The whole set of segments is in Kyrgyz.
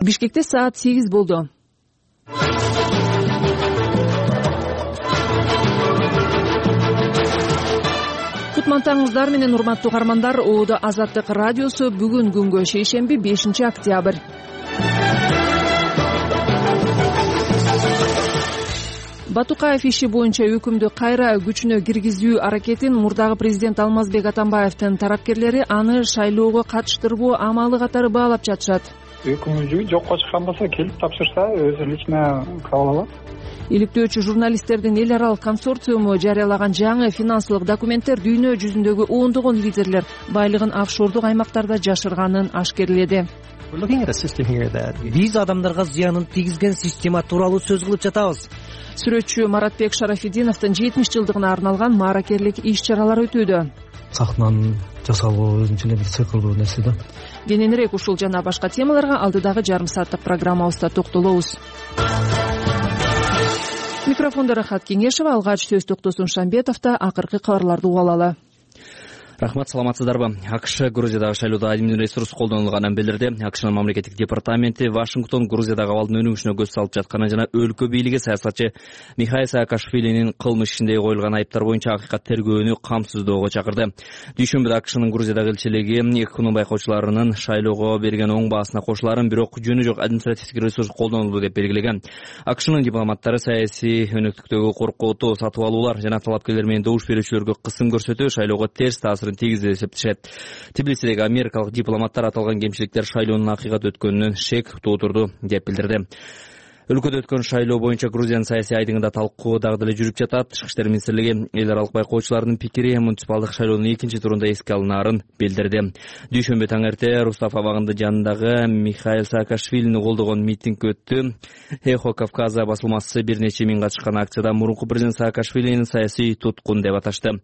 Бишкекте саат 8 болду. Кутмантаңыздар менен урматтуу каармандар. Оодо Азаттык радиосу бүгүн күнгө шейшемби 5 октябрь. Батукаев иши боюнча өкүмдү кайра күчүнө киргизүү аракетин мурдагы президент Алмазбек Атамбаевдин тарапкерлери аны шайлоого катыштырбоо амалы катары баалап жатышат. Өкүмү жокко чыккан болсо келип тапшырса өзү лично кабыл алат. Иликтөөчү журналисттердин эл аралык консорциуму жарыялаган жаңы финансылык документтер дүйнө жүзүндөгү ондогон лидерлер байлыгын офшордук аймактарда жашырганын ашкерледи. Биз адамдарга зыянын тийгизген система тууралуу сөз кылып жатабыз. Сүрөтчү Маратбек Шарафидиновдун 70 жылдыгына арналган мааракерлик иш-чаралар өтүүдө. Сахнанын жасалуу өзүнчө эле бир циклдуу нерсе да. Кененирээк ушул жана башка темаларга алдыдагы жарым сааттык программабызда токтолобуз. Микрофондо Рахат Кеңешева, алгач сөз Токтосун Шамбетовдо. Акыркы кабарларды угуп алалы. Рахмат, саламатсыздарбы? АКШ Грузиядагы шайлоодо адимдин ресурс колдонулганын билдирди. АКШнын мамлекеттик департаменти Вашингтон Грузиядагы абалдын өнүгүшүнө көз салып жатканын жана өлкө бийлиги саясатчы Михаил Саакашвилинин кылмыш ишинде коюлган айыптар боюнча акыйкат тергөөнү камсыздоого чакырды. Дүйшөмбүдө АКШнын Грузиядагы элчилиги ЭКХнын байкоочуларынын шайлоого берген оң баасына кошулаарын, бирок жөнү жок административдик ресурс колдонулду деп белгилеген. АКШнын дипломаттары саясий өнөктүктөгү коркотуу, сатып алуулар жана талапкерлер менен добуш берүүчүлөргө кысым көрсөтүү шайлоого терс таасирин тийгизди деп эсептешет. Тбилисидеги америкалык дипломаттар аталган кемчиликтер шайлоонун акыйкат өткөнүнөн шек туудурду деп билдирди. Өлкөдө өткөн шайлоо боюнча Грузиянын саясий айдыгында талкуу дагы деле жүрүп жатат. Тышкы иштер министрлиги эл аралык байкоочулардын пикири муниципалдык шайлоонун экинчи турунда эске алынаарын билдирди. Дүйшөмбү таң эрте Рустав абагында жанындагы Михаил Саакашвилини колдогон митинг өттү. Эхо Кавказа басылмасы бир нече миң катышкан акцияда мурунку президент Саакашвилинин саясий туткун деп аташты.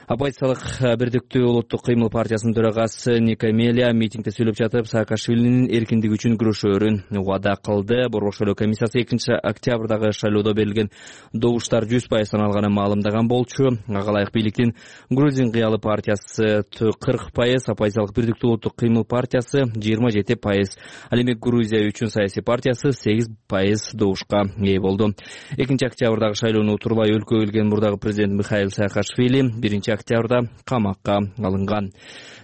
Оппозициялык Бирдиктүү улуттук кыймыл партиясынын төрагасы Никамелия митингде сүйлөп жатып, Саакашвилинин эркиндик үчүн күрөшөөрүн убада кылды. Борбор шайлоо комиссиясы 2 октябрдагы шайлоодо берилген добуштар 100% саналганын маалымдаган болчу. Ага ылайык бийликтин Грузин кыялы партиясы 40%, оппозициялык Бирдиктүү улуттук кыймыл партиясы 27%, ал эми Грузия үчүн саясий партиясы 8% добушка ээ болду. 2 октябрдагы шайлоону утурбай өлкөгө келген мурдагы президент Михаил Саакашвили 1 октябрда камакка алынган.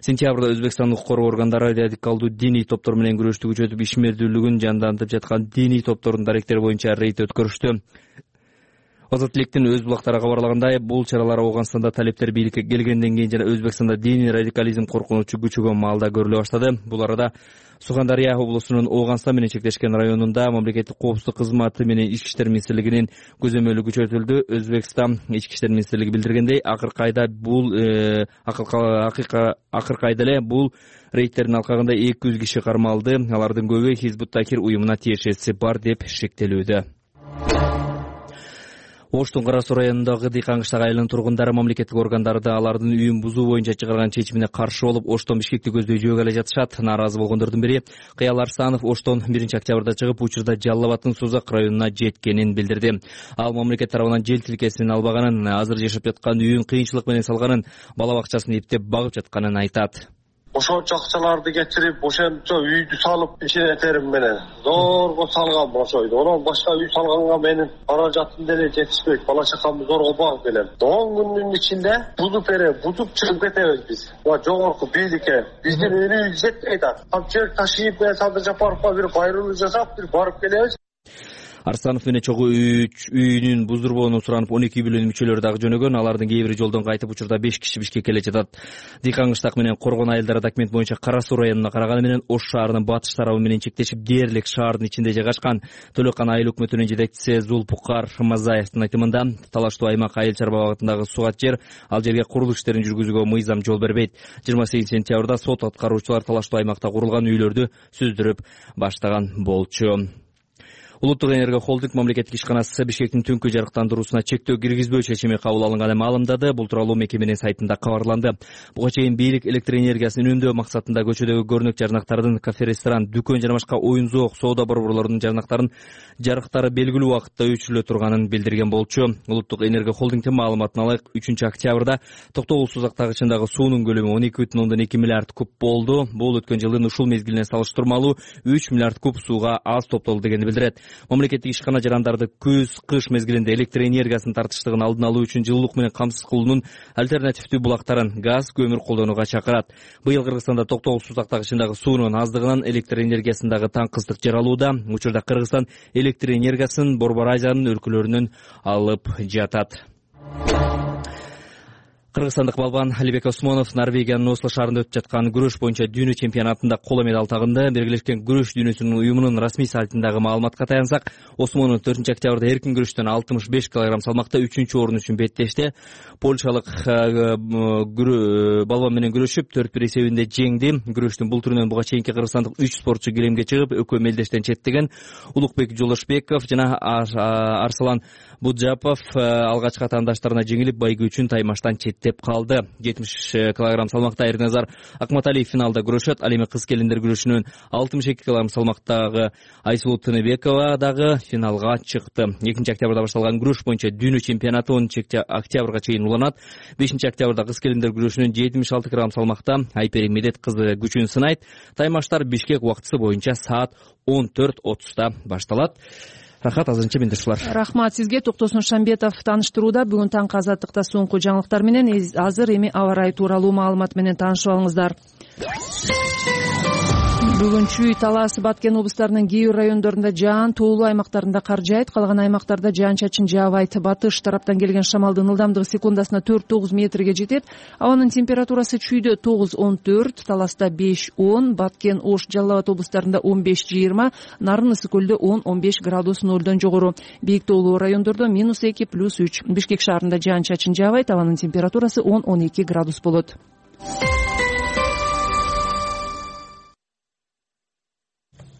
Сентябрда Өзбекстандын укук коргоо органдары радикалдуу диний топтор менен күрөштү күчөтүп, ишмердүүлүгүн жандантып жаткан диний топтордун даректери боюнча рейд өткөрүштү. Азаттыктын өз булактары кабарлагандай, бул чаралар Ооганстанда талептер бийликке келгенден кийин жана Өзбекстанда диний радикализм коркунучу күчөгөн маалда көрүлө баштады. Бул арада Сугандария облусунун Ооганстан менен чектешкен районунда мамлекеттик коопсуздук кызматы менен Ички иштер министрлигинин көзөмөлү күчөтүлдү. Өзбекстан Ички иштер министрлиги билдиргендей, акыркы айда эле бул рейдтердин алкагында 200 киши кармалды. Алардын көбү Хизбут Тахрир уюмуна тиешеси бар деп шектелүүдө. Оштун Кара Суу районундагы Дыйкан кыштагы айылынын тургундары мамлекеттик органдарды алардын үйүн бузуу боюнча чыгарган чечимине каршы болуп, Оштон Бишкекти көздөй жөөгө эле жатышат. Нааразы болгондордун бири Кыял Арсанов Оштон 1 октябрда чыгып, учурда Жалал Абадтын Сузак районуна жеткенин билдирди. Ал мамлекет тарабынан жер тилкесин албаганын, азыр жашап жаткан үйүн кыйынчылык менен салганын, бала бакчасын эптеп багып жатканын айтат. Ошончо акчаларды кетирип, ошончо үйдү салып, ишетерим менен зорго салгам ошойду. Онон башка үй салганга менин каражатым деле жетишпейт. Бала чакамды зорго багып келем. 10 күндүн ичинде бузуп чыгып кетебиз биз. Жогорку бийликке биздин үйүбүз жетпейт. Жер ташыйып, Садыр Жапаровго бир байруу жасап, бир барып келебиз. Арсанов менен чогуу үйүнүн буздурбоону суранып 12 үй бүлөнүн мүчөлөрү дагы жөнөгөн. Алардын кээ бири жолдон кайтып, учурда 5 киши Бишкекке келе жатат. Дыйкан кыштак менен Коргон айылдары документ боюнча Кара Суу районуна караганы менен Ош шаарынын батыш тарабы менен чектешип, дээрлик шаардын ичинде жайгашкан. Төлөкан айыл өкмөтүнүн жетекчиси Зулпукар Мазаевдин айтымында, талаштуу аймак айыл чарба багытындагы сугат жер, ал жерге курулуш иштерин жүргүзүүгө мыйзам жол бербейт. 28 сентябрда сот аткаруучулар талаштуу аймакта курулган үйлөрдү сүздүрүп баштаган болчу. Улуттук энергия холдинг мамлекеттик ишканасы Бишкектин түнкү жарыктандыруусуна чектөө киргизбөө чечими кабыл алынганын маалымдады. Бул тууралуу мекеменин сайтында кабарланды. Буга чейин бийлик электр энергиясын үнөмдөө максатында көчөдөгү көрүнөк жарнактардын, кафе, ресторан, дүкөн жана башка оюн зоок, соода борборлорунун жарнактарын жарыктары белгилүү убакытта өчүрүлө турганын билдирген болчу. Улуттук энергия холдингдин маалыматына ылайык 3 октябрда Токтогул сузактагычындагы суунун көлөмү 12,2 миллиард куб болду. Бул өткөн жылдын ушул мезгилине салыштырмалуу 3 миллиард куб сууга аз топтолду дегенди билдирет. Мамлекеттик ишкана жарандарды күз, кыш мезгилинде электр энергиясынын тартыштыгын алдын алуу үчүн жылуулук менен камсыз кылуунун альтернативдүү булактарын газ, көмүр колдонууга чакырат. Быйыл Кыргызстанда Токтогул сузактагычындагы суунун аздыгынан электр энергиясындагы таңкыздык жаралууда. Учурда Кыргызстан электр энергиясын Борбор Азиянын өлкөлөрүнөн алып жатат. Кыргызстандык балбан Алибек Осмонов Норвегиянын Осло шаарында өтүп жаткан күрөш боюнча дүйнө чемпионатында коло медаль тагынды. Биргелешкен күрөш дүйнөсүнүн уюмунун расмий сайтындагы маалыматка таянсак, Осмонов 4 октябрда эркин күрөштөн 65 кг салмакта 3-орун үчүн беттешти. Польшалык балбан менен күрөшүп 4-1 эсебинде жеңди. Күрөштүн бул түрүнөн буга чейинки кыргызстандык 3 спортчу киремге чыгып, экөө мелдештен четтеген. Улукбек Жолошбеков жана Арслан Буджапов алгачкы атаандаштарына жеңилип, байгы үчүн таймаштан деп калды. 70 кг салмакта Эрназар Акматалиев финалда күрөшөт. Ал эми кыз келиндер күрөшүнөн 62 кг салмактагы Айсулуу Тыныбекова дагы финалга чыкты. 2 октябрда башталган күрөш боюнча дүйнө чемпионаты 10 октябрга чейин уланат. 5 октябрда кыз келиндер күрөшүнөн 76 кг салмакта Айпери Медет кызы күчүн сынайт. Таймаштар Бишкек убактысы боюнча саат 14:30 башталат. Рахат, азырынча мендешулар. Рахмат сизге. Токтосун Шамбетов тааныштырууда. Бүгүн таңкы Азаттыкта соңку жаңылыктар менен азыр эми аба ырайы тууралуу маалымат менен таанышып алыңыздар. Бүгүн Чүй, Талас, Баткен облустарынын кээ бир райондорунда жаан, тоолуу аймактарында кар жаайт, калган аймактарда жаан-чачын жаабайт. Батыш тараптан келген шамалдын ылдамдыгы секундасына 4-9 метрге жетет. Абанын температурасы Чүйдө 9-14, Таласта 5-10, Баткен, Ош, Жалал Абад облустарында 15-20, Нарын, Ысык көлдө 10-15 градус нолдон жогору. Бийик тоолуу райондордо -2, +3. Бишкек шаарында жаан-чачын жаабайт, абанын температурасы 10-12 градус болот.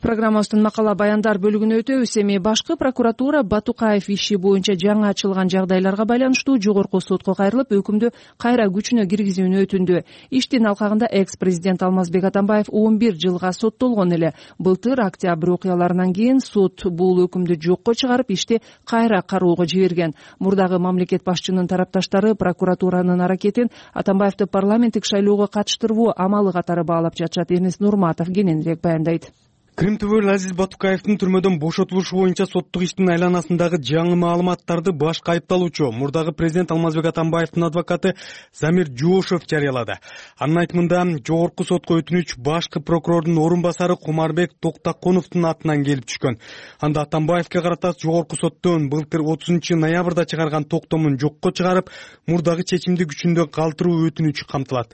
Программабыздын макала баяндар бөлүгүнө өтөбүз. Эми башкы прокуратура Батукаев иши боюнча жаңы ачылган жагдайларга байланыштуу жогорку сотко кайрылып, өкүмдү кайра күчүнө киргизүүнү өтүндү. Иштин алкагында экс-президент Алмазбек Атамбаев 11 жылга соттолгон эле. Былтыр октябрь окуяларынан кийин сот бул өкүмдү жокко чыгарып, ишти кайра кароого жиберген. Мурдагы мамлекет башчынын тарапташтары прокуратуранын аракетин Атамбаевди парламенттик шайлоого катыштырбоо амалы катары баалап жатышат. Эрнест Нурматов кененирээк баяндайт. Крим түбөл Азиз Батукаевдин түрмөдөн бошотулушу боюнча соттук иштин айланасындагы жаңы маалыматтарды башкы айыпталуучу, мурдагы президент Алмазбек Атамбаевдин адвокаты Замир Жуошев жарыялады. Анын айтымында, жогорку сотко өтүнүч башкы прокурордун орун басары Кумарбек Токтаконовдун атынан келип түшкөн. Анда Атамбаевге карата жогорку соттон былтыр 30 ноябрда чыгарган токтомун жокко чыгарып, мурдагы чечимди күчүндө калтыруу өтүнүчү камтылат.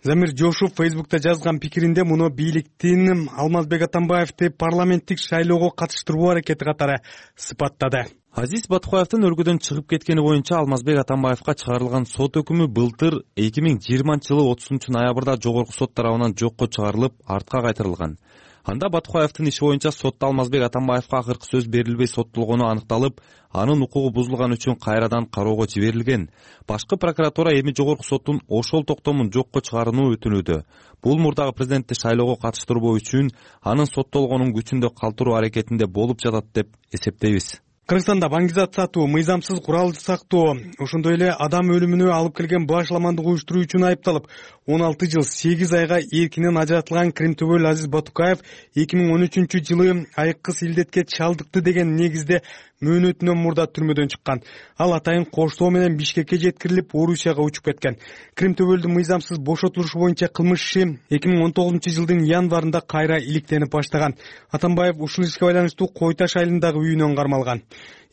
Замир Жошев Фейсбукта жазган пикиринде муну бийликтин Алмазбек Атамбаевди парламенттик шайлоого катыштыруу аракети катары сыпаттады. Азиз Батукаевдин өлкөдөн чыгып кеткени боюнча Алмазбек Атамбаевга чыгарылган сот өкүмү былтыр 2020-жылы 30 ноябрда жогорку сот тарабынан жокко чыгарылып, артка кайтарылган. Анда Батукаевдин иши боюнча сотто Алмазбек Атамбаевга акыркы сөз берилбей соттолгону аныкталып, анын укугу бузулган үчүн кайрадан кароого жиберилген. Башкы прокуратура эми жогорку соттун ошол токтомун жокко чыгарууну өтүнүүдө. Бул мурдагы президентти шайлоого катыштырбоо үчүн анын соттолгонун күчүндө калтыруу аракетинде болуп жатат деп эсептейбиз. Кыргызстанда баңгизат сатуу, мыйзамсыз курал сактоо, ошондой эле адам өлүмүнө алып келген башаламандык уюштуруу үчүн айыпталып, 16 жыл 8 айга эркинен ажыратылган Крим түбөл Азиз Батукаев 2013-жылы айыккыс илдетке чалдыкты деген негизде мөөнөтүнөн мурда түрмөдөн чыккан. Ал атайын коштоо менен Бишкекке жеткирилип, Орусияга учуп кеткен. Крим түбөлдүн мыйзамсыз бошотулушу боюнча кылмыш иши 2019-жылдын январында кайра иликтенип баштаган. Атамбаев ушул ишке байланыштуу Кой Таш айылындагы үйүнөн кармалган.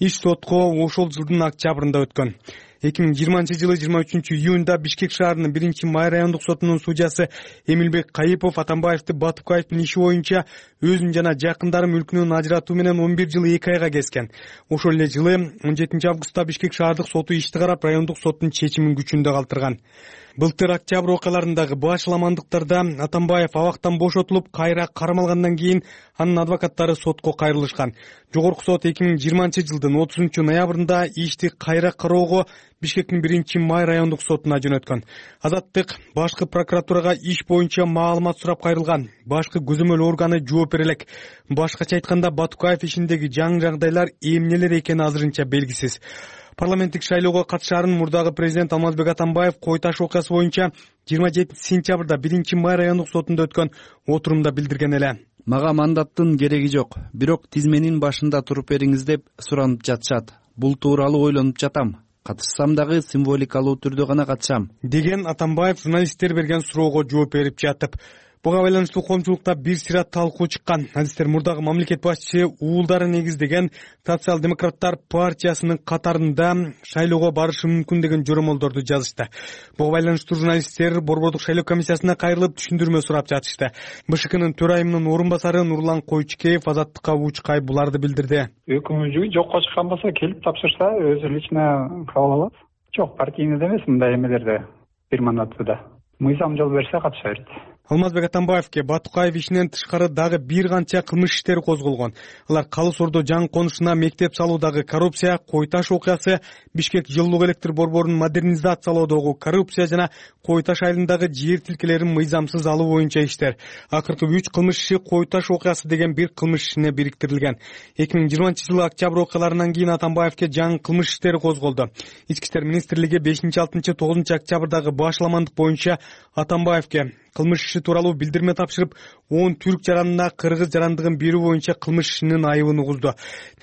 Иш сотко ошол жылдын октябрында өткөн. 2020 жылы 23 июнда Бишкек шаарынын 1-Май райондук сотунун судьясы Эмилбек Кайыпов Атамбаевди Батукаевдин иши боюнча өзүн жана жакындары мүлкүнөн ажыратуу менен 11 жыл 2 айга кескен. Ошол эле жылы 17 августта Бишкек шаардык соту ишти карап райондук соттун чечимин күчүндө калтырган. Былтыр октябрь окуяларындагы башаламандыктарда Атамбаев абактан бошотулуп, кайра кармалгандан кийин анын адвокаттары сотко кайрылышкан. Жогорку сот 2020 жылдын 30 ноябрында ишти кайра кароого Бишкектин 1-Май райондук сотуна жөнөткөн. Азаттык башкы прокуратурага иш боюнча маалымат сурап кайрылган. Башкы көзөмөл органы жооп бере элек. Башкача айтканда, Батукаев ишиндеги жаңы жагдайлар эмнелер экени азырынча белгисиз. Парламенттик шайлоого катышаарын мурдагы президент Алмазбек Атамбаев Кой Таш окуясы боюнча 27 сентябрда 1-Май райондук сотунда өткөн отурумда билдирген эле. Мага мандаттын кереги жок, бирок тизменин башында туруп бериңиз деп суранып жатышат. Бул тууралуу ойлонуп жатам. Катышсам дагы символикалуу түрдө гана катышам, деген Атамбаев журналисттер берген суроого жооп берип жатып. Буга байланыштуу коомчулукта бир сыйра талкуу чыккан. Адистер мурдагы мамлекет башчысы уулдары негиздеген Социал-демократтар партиясынын катарында шайлоого барышы мүмкүн деген жоромолдорду жазышты. Буга байланыштуу журналисттер Борбордук шайлоо комиссиясына кайрылып түшүндүрмө сурап жатышты. БШКнын төрайымынын орун басары Нурлан Койчукеев Азаттыкка учкай буларды билдирди. Өкүмү жокко чыккан болсо келип тапшырса өзү лично кабыл алат. Жок, партийный эмес мындай эмелерде бир мандатыда. Мыйзам жол берсе катыша берет. Алмазбек Атамбаевке Батукаев ишинен тышкары дагы бир канча кылмыш иштери козголгон. Алар Калыс Ордо жаңы конушуна мектеп салуудагы коррупция, Кой Таш окуясы, Бишкек жылуулук электр борборун модернизациялоодогу коррупция жана Кой Таш айылындагы жер тилкелерин мыйзамсыз алуу боюнча иштер. Акыркы 3 кылмыш иши Кой Таш окуясы деген бир кылмыш ишине бириктирилген. 2020 жылы октябрь окуяларынан кийин Атамбаевке жаңы кылмыш иштери козголду. Ички иштер министрлиги 5-6-9 октябрдагы башаламандык боюнча Атамбаевке кылмыш иши тууралуу билдирме тапшырып, 10 түрк жаранына кыргыз жарандыгын берүү боюнча кылмыш ишинин айыбын угузду.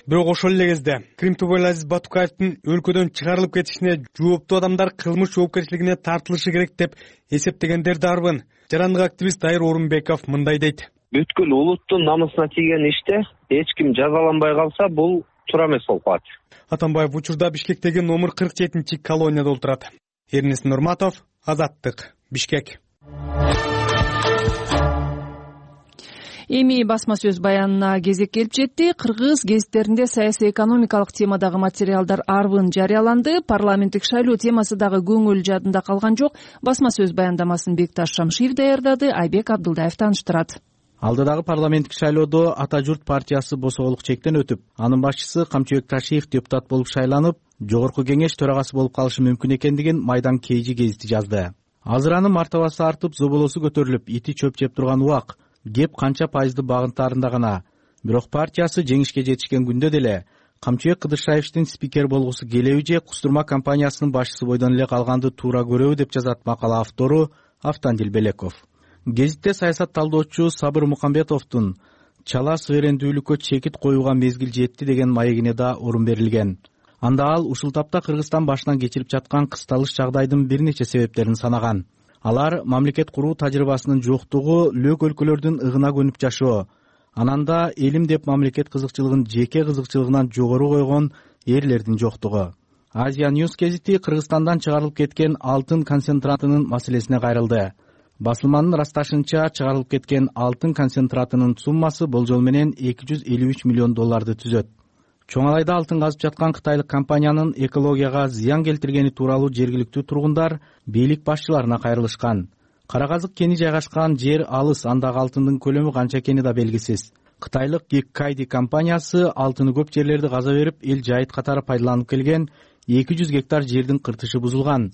Бирок ошол эле кезде Крим Тубай Азиз Батукаевдин өлкөдөн чыгарылып кетишине жооптуу адамдар кылмыш жоопкерчилигине тартылышы керек деп эсептегендер дарбын. Жарандык активист Дайыр Орунбеков мындай дейт. Бүткүл улуттун намысына тийген иште эч ким жазаланбай калса, бул туура эмес болуп калат. Атамбаев учурда Бишкектеги номер 47 колонияда отурат. Эрнест Нурматов, Азаттык, Бишкек. Эми басма сөз баянына кезек келип жетти. Кыргыз гезиттеринде саясий экономикалык темадагы материалдар арбын жарыяланды. Парламенттик шайлоо темасы дагы көңүл жадында калган жок. Басма сөз баяндамасын Бекташ Шамшиев даярдады, Айбек Абдылдаев тааныштырат. Алдыдагы парламенттик шайлоодо Ата журт партиясы босоолук чектен өтүп, анын башчысы Камчыбек Ташиев депутат болуп шайланып, жогорку кеңеш төрагасы болуп калышы мүмкүн экендигин Майдан Кейжи гезити жазды. Азыр анын мартабасы артып, зоболосу көтөрүлүп, ити чөп жеп турган убак. Кеп канча пайызды багынтаарында гана. Бирок партиясы жеңишке жетишкен күндө деле Камчыбек Кыдыршаевдин спикер болгусу келеби же Кустурма компаниясынын башчысы бойдон эле калганды туура көрөбү деп жазат макала автору Автандил Белеков. Гезитте саясат талдоочу Сабыр Мукамбетовдун чала суверендүүлүккө чекит коюуга мезгил жетти деген маегине да орун берилген. Анда ал ушул тапта Кыргызстан башынан кечирип жаткан кысталыш жагдайдын бир нече себептерин санаган. Алар мамлекет куруу тажрыйбасынын жоктугу, лөк өлкөлөрдүн ыгына көнүп жашоо, анан да элим деп мамлекет кызыкчылыгын жеке кызыкчылыгынан жогору койгон эрлердин жоктугу. Азия Ньюс гезити Кыргызстандан чыгарылып кеткен алтын концентратынын маселесине кайрылды. Басылманын ырасташынча, чыгарылып кеткен алтын концентратынын суммасы болжол менен $253 миллион түзөт. Чоңалайда алтын казып жаткан кытайлык компаниянын экологияга зыян келтиргени тууралуу жергиликтүү тургундар бийлик башчыларына кайрылышкан. Кара казык кени жайгашкан жер алыс, андагы алтындын көлөмү канча экени да белгисиз. Кытайлык Геккайди компаниясы алтыны көп жерлерди каза берип, эл жайыт катары пайдаланып келген 200 гектар жердин кыртышы бузулган.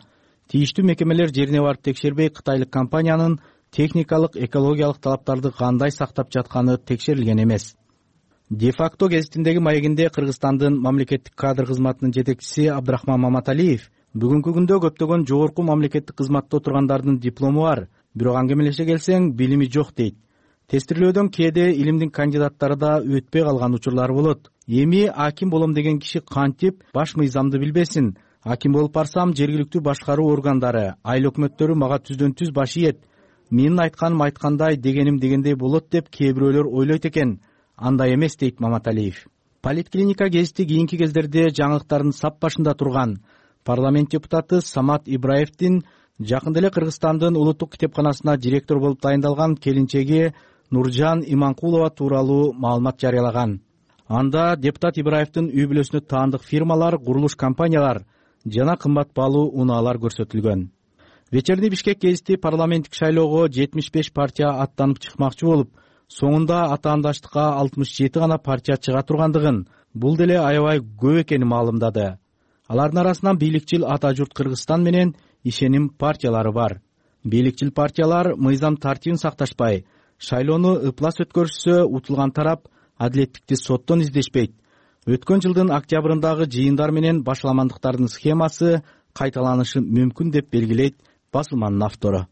Тийиштүү мекемелер жерине барып текшербей, кытайлык компаниянын техникалык, экологиялык талаптарды кандай сактап жатканы текшерилген эмес. Де-факто гезитиндеги маегинде Кыргызстандын мамлекеттик кадр кызматынын жетекчиси Абдрахман Маматалиев бүгүнкү күндө көптөгөн жогорку мамлекеттик кызматта отургандардын диплому бар, бирок аңгемелеше келсең билими жок дейт. Тестирлөөдөн кээде илимдин кандидаттары да өтпөй калган учурлар болот. Эми аким болом деген киши кантип баш мыйзамды билбесин? Аким болуп барсам, жергиликтүү башкаруу органдары, айыл өкмөттөрү мага түздөн түз баш ийет. Менин айтканым айткандай, дегеним дегендей болот деп кээ бирөөлөр ойлойт экен. Андай эмес дейт Маматалиев. Политклиника гезити кийинки кездерде жаңылыктардын сап башында турган. парламент депутаты Самат Ибраевдин жакында эле Кыргызстандын улуттук китепканасына директор болуп дайындалган келинчеги Нуржан Иманкулова тууралуу маалымат жарыялаган. Анда депутат Ибраевдин үй бүлөсүнө таандык фирмалар, курулуш компаниялар жана кымбат баалуу унаалар көрсөтүлгөн. Вечерний Бишкек гезити парламенттик шайлоого 75 партия аттанып чыкмакчы болуп, соңунда атаандаштыкка 67 гана партия чыга тургандыгын, бул деле аябай көп экенин маалымдады. Алардын арасынан бийликчил Ата журт Кыргызстан менен Ишеним партиялары бар. Бийликчил партиялар мыйзам тартибин сакташпай, шайлоону ыплас өткөрүшсө утулган тарап адилеттикти соттон издешпейт. Өткөн жылдын октябрындагы жыйындар менен башаламандыктардын схемасы кайталанышы мүмкүн деп белгилейт басылманын автору.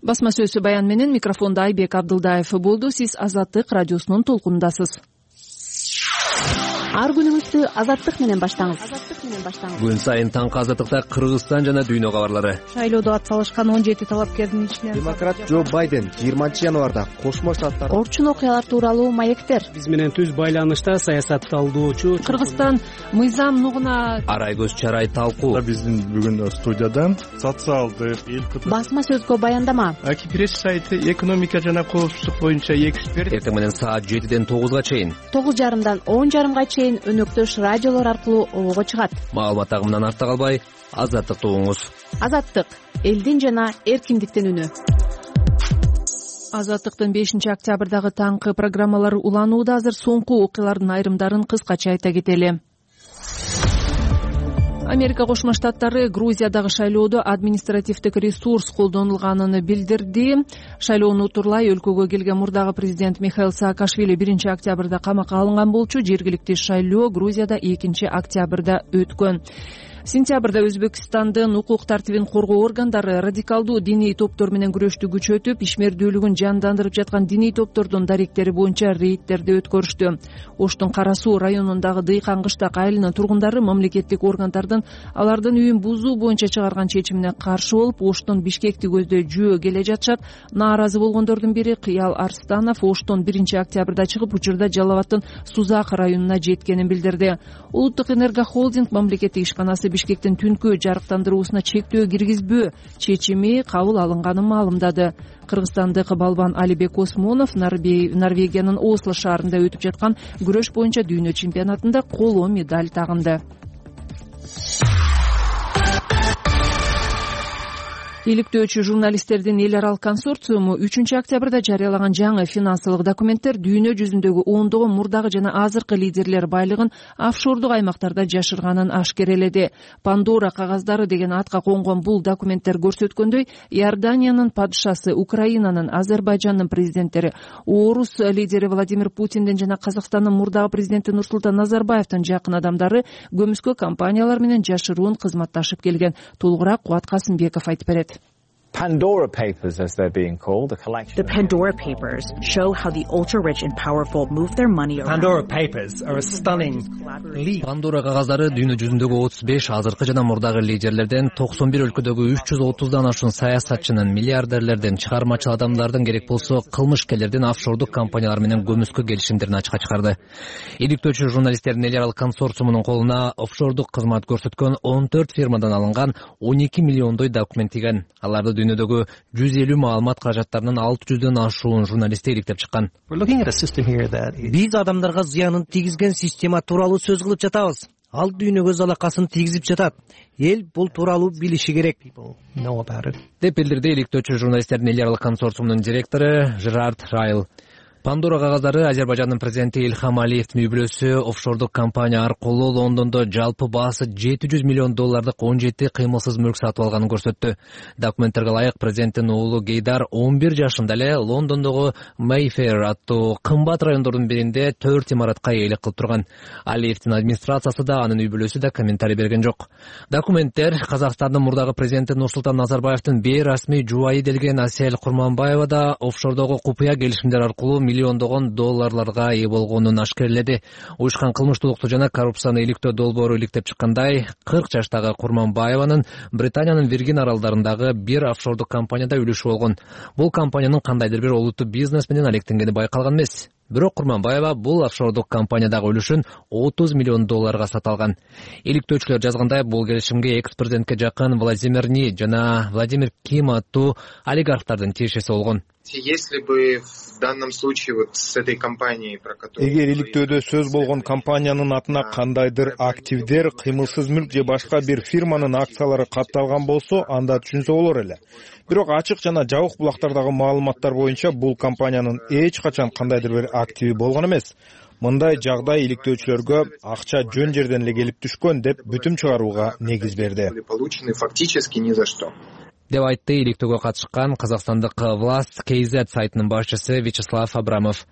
Басма сөзсү баян менен микрофондо Айбек Абдылдаев болду. Сиз Азаттык радиосунун толкунундасыз. Ар күнүңүздү Азаттык менен баштаңыз. Күн сайын таңкы Азаттыкта Кыргызстан жана дүйнө кабарлары. Шайлоодо атсалышкан 17 талапкердин ичинен демократ Джо Байден 20 январда Кошмо Штаттар орчун окуялар тууралуу маектер. Биз менен түз байланышта саясатталуучу Кыргызстан мыйзам нугуна арай көз чарай талкуу. Биздин бүгүн студиядан социалдык басма сөзгө баяндама. Акипресс сайты экономика жана коопсуздук боюнча эксперт. Эртең менен саат 7ден 9га чейин, 9:30дан 10:30га чейин өнөктөш радиолор аркылуу обого чыгат. Маалымат агымынан артта калбай, Азаттыкты угуңуз. Азаттык — элдин жана эркиндиктин үнү. Азаттыктын 5-октябрдагы таңкы программалары уланууда. Азыр соңку окуялардын айрымдарын кыскача айта кетели. Америка Кошмо Штаттары Грузиядагы шайлоодо административдик ресурс колдонулганын билдирди. Шайлоону утурлай өлкөгө келген мурдагы президент Михаил Саакашвили 1-октябрда камакка алынган болчу. Жергиликтүү шайлоо Грузияда 2-октябрда өткөн. Сентябрда Өзбекстандын укук тартибин коргоо органдары радикалдуу диний топтор менен күрөштү күчөтүп, ишмердүүлүгүн жандандырып жаткан диний топтордун даректери боюнча рейдтерди өткөрүштү. Оштун Кара Суу районундагы Дыйкан кыштак айылынын тургундары мамлекеттик органдардын алардын үйүн бузуу боюнча чыгарган чечимине каршы болуп, Оштон Бишкекти көздөй жөө келе жатышат. Нааразы болгондордун бири Кыял Арстанов Оштон 1-октябрда чыгып, учурда Жалал Абадтын Сузак районуна жеткенин билдирди. Улуттук энергохолдинг мамлекеттик ишканасы Бишкектин түнкү жарыктандыруусуна чектөө киргизбөө чечими кабыл алынганын маалымдады. Кыргызстандык балбан Алибек Осмонов Норвегиянын Осло шаарында өтүп жаткан күрөш боюнча дүйнө чемпионатында коло медаль тагынды. Иликтөөчү журналисттердин эл аралык консорциуму 3-октябрда жарыялаган жаңы финансылык документтер дүйнө жүзүндөгү ондогон мурдагы жана азыркы лидерлер байлыгын офшордук аймактарда жашырганын ашкереледи. Пандора кагаздары деген атка конгон бул документтер көрсөткөндөй, Иорданиянын падышасы, Украинанын, Азербайжандын президенттери, орус лидери Владимир Путиндин жана Казакстандын мурдагы президенти Нурсултан Назарбаевдин жакын адамдары көмүскө компаниялар менен жашыруун кызматташып келген. Толугураак Кубат Касымбеков айтып берет. Pandora Papers, as they're being called, a collection. The Pandora Papers show how the ultra-rich and powerful move their money around. Pandora Papers are a stunning leap. Pandora кагаздары дүйнө жүзүндөгү 35 азыркы жана мурдагы лидерлерден 91 өлкөдөгү 330дан ашуун саясатчынын, миллиардерлерден, чыгармачыл адамдардын, керек болсо кылмышкерлердин офшордук компаниялар менен көмүскө келишимдерин ачыкка чыгарды. Иликтөөчү журналисттердин эл аралык консорциумунун колуна офшордук кызмат көрсөткөн 14 фирмадан алынган 12 миллиондой документ тийген. Аларды дүйнөдөгү 150 маалымат каражаттарынын 600дөн ашуун журналисти иликтеп чыккан. Биз адамдарга зыянын тийгизген система тууралуу сөз кылып жатабыз. Ал дүйнөгө залакасын тийгизип жатат. Эл бул тууралуу билиши керек. Деп билдирди иликтөөчү журналисттердин эл аралык консорциумунун директору Жерард Райл. Пандора кагаздары Азербайжандын президенти Ильхам Алиевдин үй бүлөсү офшордук компания аркылуу Лондондо жалпы баасы $700 миллион 17 кыймылсыз мүлк сатып алганын көрсөттү. Документтерге ылайык президенттин уулу Гейдар 11 жашында эле Лондондогу Mayfair аттуу кымбат райондордун биринде 4 имаратка ээлик кылып турган. Алиевдин администрациясы да, анын үй бүлөсү да комментарий берген жок. Документтер Казакстандын мурдагы президенти Нурсултан Назарбаевдин бейрасмий жубайы делген Асель Курманбаева да офшордогу купуя келишимдер аркылуу миллиондогон долларларга ээ болгонун ашкереледи. Уюшкан кылмыштуулукту жана коррупцияны иликтөө долбоору иликтеп чыккандай, 40 жаштагы Курманбаеванын Британиянын Виргин аралдарындагы бир офшордук компанияда үлүшү болгон. Бул компаниянын кандайдыр бир олуттуу бизнес менен алектенгени байкалган эмес. Бирок Курманбаева бул офшордук компаниядагы үлүшүн $30 миллион сата алган. Иликтөөчүлөр жазгандай, бул келишимге экс-президентке жакын Владимир Ни жана Владимир Ким аттуу олигархтардын тиешеси болгон. Если бы в данном случае вот с этой компанией, про которую... Эгер иликтөөдө сөз болгон компаниянын атына кандайдыр активдер, кыймылсыз мүлк же башка бир фирманын акциялары катталган болсо, анда түшүнсө болор эле. Бирок ачык жана жабык булактардагы маалыматтар боюнча бул компаниянын эч качан кандайдыр бир активи болгон эмес. Мындай жагдай иликтөөчүлөргө акча жөн жерден эле келип түшкөн деп бүтүм чыгарууга негиз берди. Получены фактически ни за что. Деп айтты иликтөөгө катышкан казакстандык Власть KZ сайтынын башчысы Вячеслав Абрамов.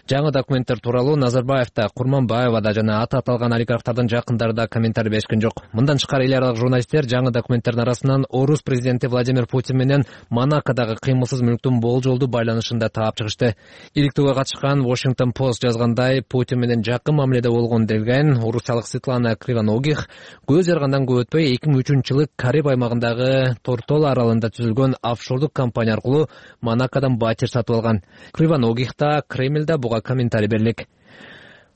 Жаңы документтер тууралуу Назарбаев да, Курманбаева да жана аты аталган олигархтардын жакындары да комментарий беришкен жок. Мындан тышкары эл аралык журналисттер жаңы документтердин арасынан орус президенти Владимир Путин менен Монакодагы кыймылсыз мүлктүн болжолдуу байланышын да таап чыгышты. Иликтөөгө катышкан Washington Post жазгандай, Путин менен жакын мамиледе болгон деген орусиялык Светлана Кривоногих көз жаргандан көп өтпөй 2003-жылы Кариб аймагындагы Тортола аралында түзүлгөн офшордук компания аркылуу Монакодон батир сатып алган. Кривоногих да, Кремль да буга комментарий берлик.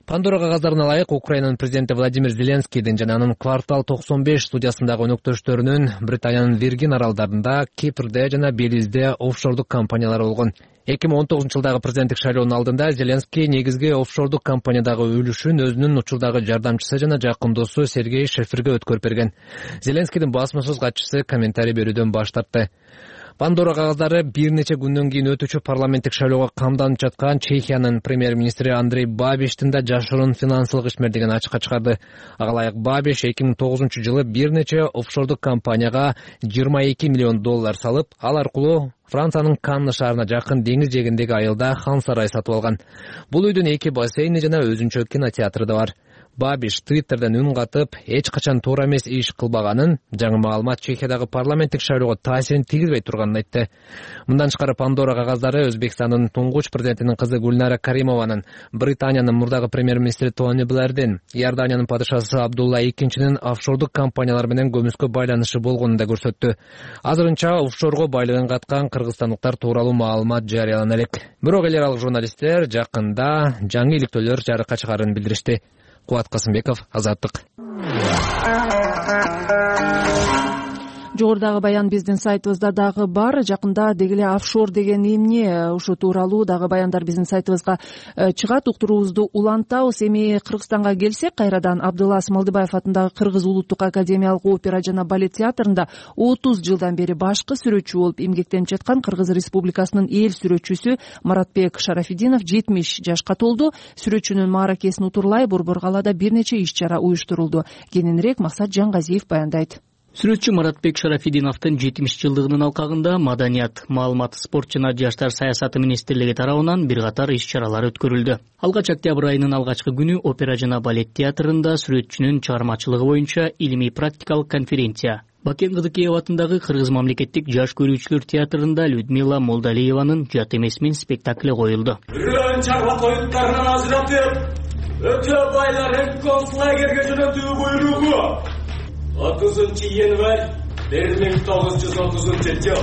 Пандора кагаздарына ылайык Украинанын президенти Владимир Зеленскийдин жана анын Квартал 95 студиясындагы өнөктөштөрүнүн Британиянын Виргин аралдарында, Кипрде жана Белизде офшордук компаниялары болгон. 2019-жылдагы президенттик шайлоонун алдында Зеленский негизги офшордук компаниядагы үлүшүн өзүнүн учурдагы жардамчысы жана жакын досу Сергей Шеферге өткөрүп берген. Зеленскийдин басма сөз катчысы комментарий берүүдөн баш тартты. Пандора кагаздары бир нече күндөн кийин өтүүчү парламенттик шайлоого камданып жаткан Чехиянын премьер-министри Андрей Бабиштин да жашыруун финансылык ишмердигин ачыкка чыгарды. Ага ылайык Бабиш 2009-жылы бир нече офшордук компанияга $22 миллион салып, ал аркылуу Франциянын Канны шаарына жакын деңиз жээгиндеги айылда хан сарай сатып алган. Бул үйдүн 2 бассейни жана өзүнчө кинотеатры да бар. Бабиш Твиттерден үн катып, эч качан туура эмес иш кылбаганын, жаңы маалымат Чехиядагы парламенттик шайлоого таасирин тийгизбей турганын айтты. Мындан тышкары Пандора кагаздары Өзбекстандын туңгуч президентинин кызы Гүлнара Каримованын, Британиянын мурдагы премьер-министри Тони Блэрдин, Иорданиянын падышасы Абдулла II офшордук компаниялар менен көмүскө байланышы болгонун да көрсөттү. Азырынча офшорго байлыгын каткан кыргызстандыктар тууралуу маалымат жарыялана элек. Бирок эл аралык журналисттер жакында жаңы иликтөөлөр жарыкка чыгаарын билдиришти. Кубат Касымбеков, Азаттык. Жогорудагы баян биздин сайтыбызда дагы бар. Жакында дегеле офшор деген эмне, ушул тууралуу дагы баяндар биздин сайтыбызга чыгат. Уктуруубузду улантабыз. Эми Кыргызстанга келсек, кайрадан Абдылас Малдыбаев атындагы Кыргыз улуттук академиялык опера жана балет театрында 30 жылдан бери башкы сүрөтчү болуп эмгектенип жаткан Кыргыз Республикасынын эл сүрөтчүсү Маратбек Шарафидинов 70 жашка толду. Сүрөтчүнүн мааракесин утурлай Борбор калаада бир нече иш-чара уюштурулду. Кененирээк Максат Жангазиев баяндайт. Сүрөтчү Маратбек Шарафидиновдун 70 жылдыгынын алкагында Маданият, маалымат, спорт жана жаштар саясаты министрлиги тарабынан бир катар иш-чаралар өткөрүлдү. Алгач октябрь айынын алгачкы күнү опера жана балет театрында сүрөтчүнүн чыгармачылыгы боюнча илимий практикалык конференция, Бакен Кыдыкеев атындагы Кыргыз мамлекеттик жаш көрүүчүлөр театрында Людмила Молдалиеванын Жат эмес мен спектакли коюлду. Чарба тоюттарынан ажыратып, өтө байларын концлагерге жөнөтүү буйругу 30-январь 1930 жыл.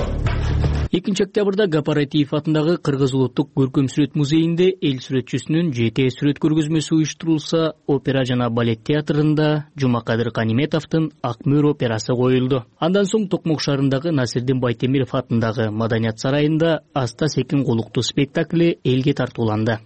2 октябрда Гапаратиев атындагы Кыргыз улуттук көркөм сүрөт музейинде эл сүрөтчүсүнүн жете сүрөт көргөзмөсү уюштурулса, опера жана балет театрында Жумакадыр Каниметовдун Ак мөр операсы коюлду. Андан соң Токмок шаарындагы Насирдин Байтемиров атындагы Маданият сарайында Аста секин колуктуу спектакли элге тартууланды.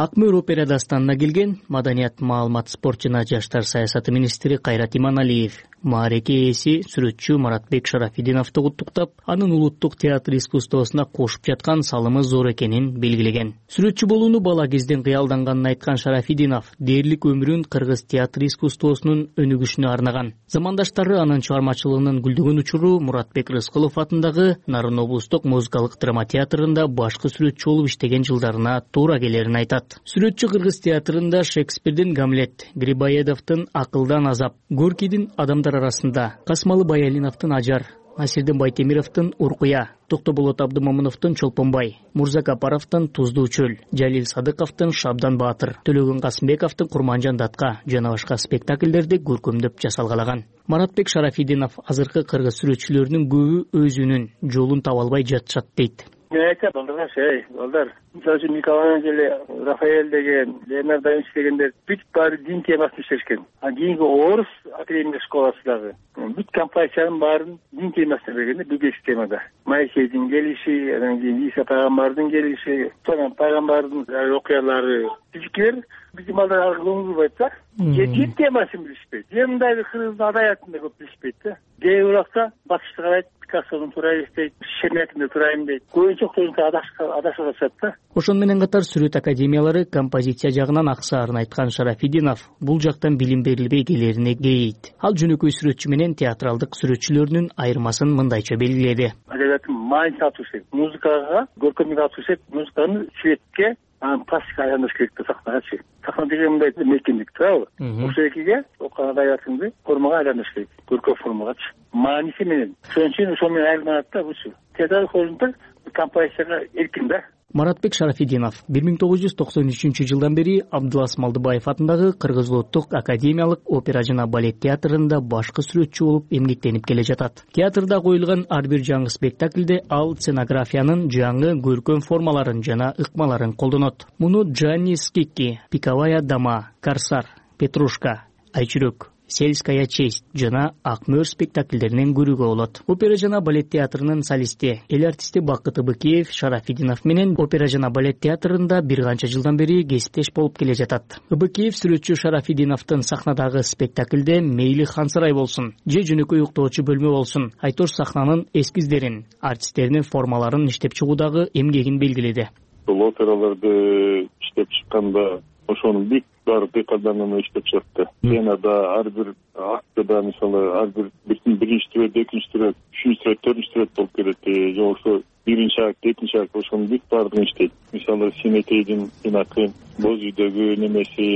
Ак мөр опера дастанына келген Маданият, маалымат, спорт жана жаштар саясаты министри Кайрат Иманалиев маареке ээси сүрөтчү Маратбек Шарафидиновду куттуктап, анын улуттук театр искусствосуна кошуп жаткан салымы зор экенин белгилеген. Сүрөтчү болууну бала кезден кыялданганын айткан Шарафидинов дээрлик өмүрүн кыргыз театр искусствосунун өнүгүшүнө арнаган. Замандаштары анын чыгармачылыгынын гүлдөгөн учуру Муратбек Рыскылов атындагы Нарын облустук музыкалык драма театрында башкы сүрөтчү болуп иштеген жылдарына туура келерин айтат. Сүрөтчү Кыргыз театрында Шекспирдин Гамлет, Грибоедовдун Акылдан азап, Горкийдин Адамдар арасында, Касмалы Баялиновдун Ажар, Насирдин Байтемировдун Уркуя, Токтоболот Абдымомуновдун Чолпонбай, Мурзакапаровдун Туздуу чөл, Жалил Садыковдун Шабдан Баатыр, Төлөгөн Касымбековдун Курманжан Датка жана башка спектакльдерди көркөмдөп жасалгалаган. Маратбек Шарафидинов азыркы кыргыз сүрөтчүлөрүнүн көбү өзүнүн жолун таба албай жатышат дейт. Мен айтам, балдар, мисалы үчүн Микеланджело, Рафаэль деген, Леонардо да Винчи дегендер бүт баары дин темасын иштешкен. Кийинки орус академик школасы дагы бүт композициянын баарын дин темасына берген, бүгүнкү темада. Моисейдин келиши, анан кийин Иса пайгамбардын келиши, сонун пайгамбардын окуялары, тизикер биздин балдар аркылуу угулбайт да. Дин темасын билишпейт. Мындайбы кыргыздын адаятын да көп билишпейт да. Кээ бирокта батышты карайт, Пикассонун туура эстейт, Шемякин туура эмдейт. Көбүнчө адашып атышат да. Ошону менен катар сүрөт академиялары композиция жагынан аксаарын айткан Шарафидинов бул жактан билим берилбей келерине кейийт. Ал жөнөкөй сүрөтчү менен театралдык сүрөтчүлөрүнүн айырмасын мындайча белгиледи. Адабияттын маанисин ачуу керек. Музыкага, көркөмдүккө ачуу керек. Музыканы светке, анан пластикага айлантыш керек да, сахнагачы. Сахна деген мындай мекендик туурабы? Ошол экиге окуган адабиятыңды формага айлантыш керек. Көркөм формагачы. Мааниси менен. Ошон үчүн ошол менен айырмаланат да бучу. Театр хозунтар композицияга эркин да. Маратбек Шарафидинов 1993 жылдан бери Абдылас Малдыбаев атындагы Кыргыз Улуттук академиялык опера жана балет театрында башкы сүрөтчү болуп эмгектенип келе жатат. Театрда коюлган ар бир жаңы спектакльде ал сценографиянын жаңы көркөм формаларын жана ыкмаларын колдонот. Муну Джанни Скикки, Пиковая дама, Корсар, Петрушка, Айчүрөк, Сельская честь жана Ак мөр спектакльдеринен көрүүгө болот. Опера жана балет театрынын солисти, эл артисти Бакыт Ыбыкеев Шарафидинов менен опера жана балет театрында бир канча жылдан бери кесиптеш болуп келе жатат. Ыбыкеев сүрөтчү Шарафидиновдун сахнадагы спектакльде мейли Хансырай болсун, же жөнөкөй уктоочу бөлмө болсун, айтор сахнанын эскиздерин, артисттеринин формаларын иштеп чыгуудагы эмгегин белгиледи. Бул операларды иштеп чыкканда ошонун бүт баары декаданын иштеп чыкты. Сценада ар бир актыда мисалы ар биринчи түрөт, экинчи түрөт, үчүнчү түрөт, төртүнчү түрөт болуп келет. Же болбосо биринчи акт, экинчи акт ошонун бүт баардыгын иштейт. Мисалы Симетейдин тинакы, Боз үйдөгү немеси,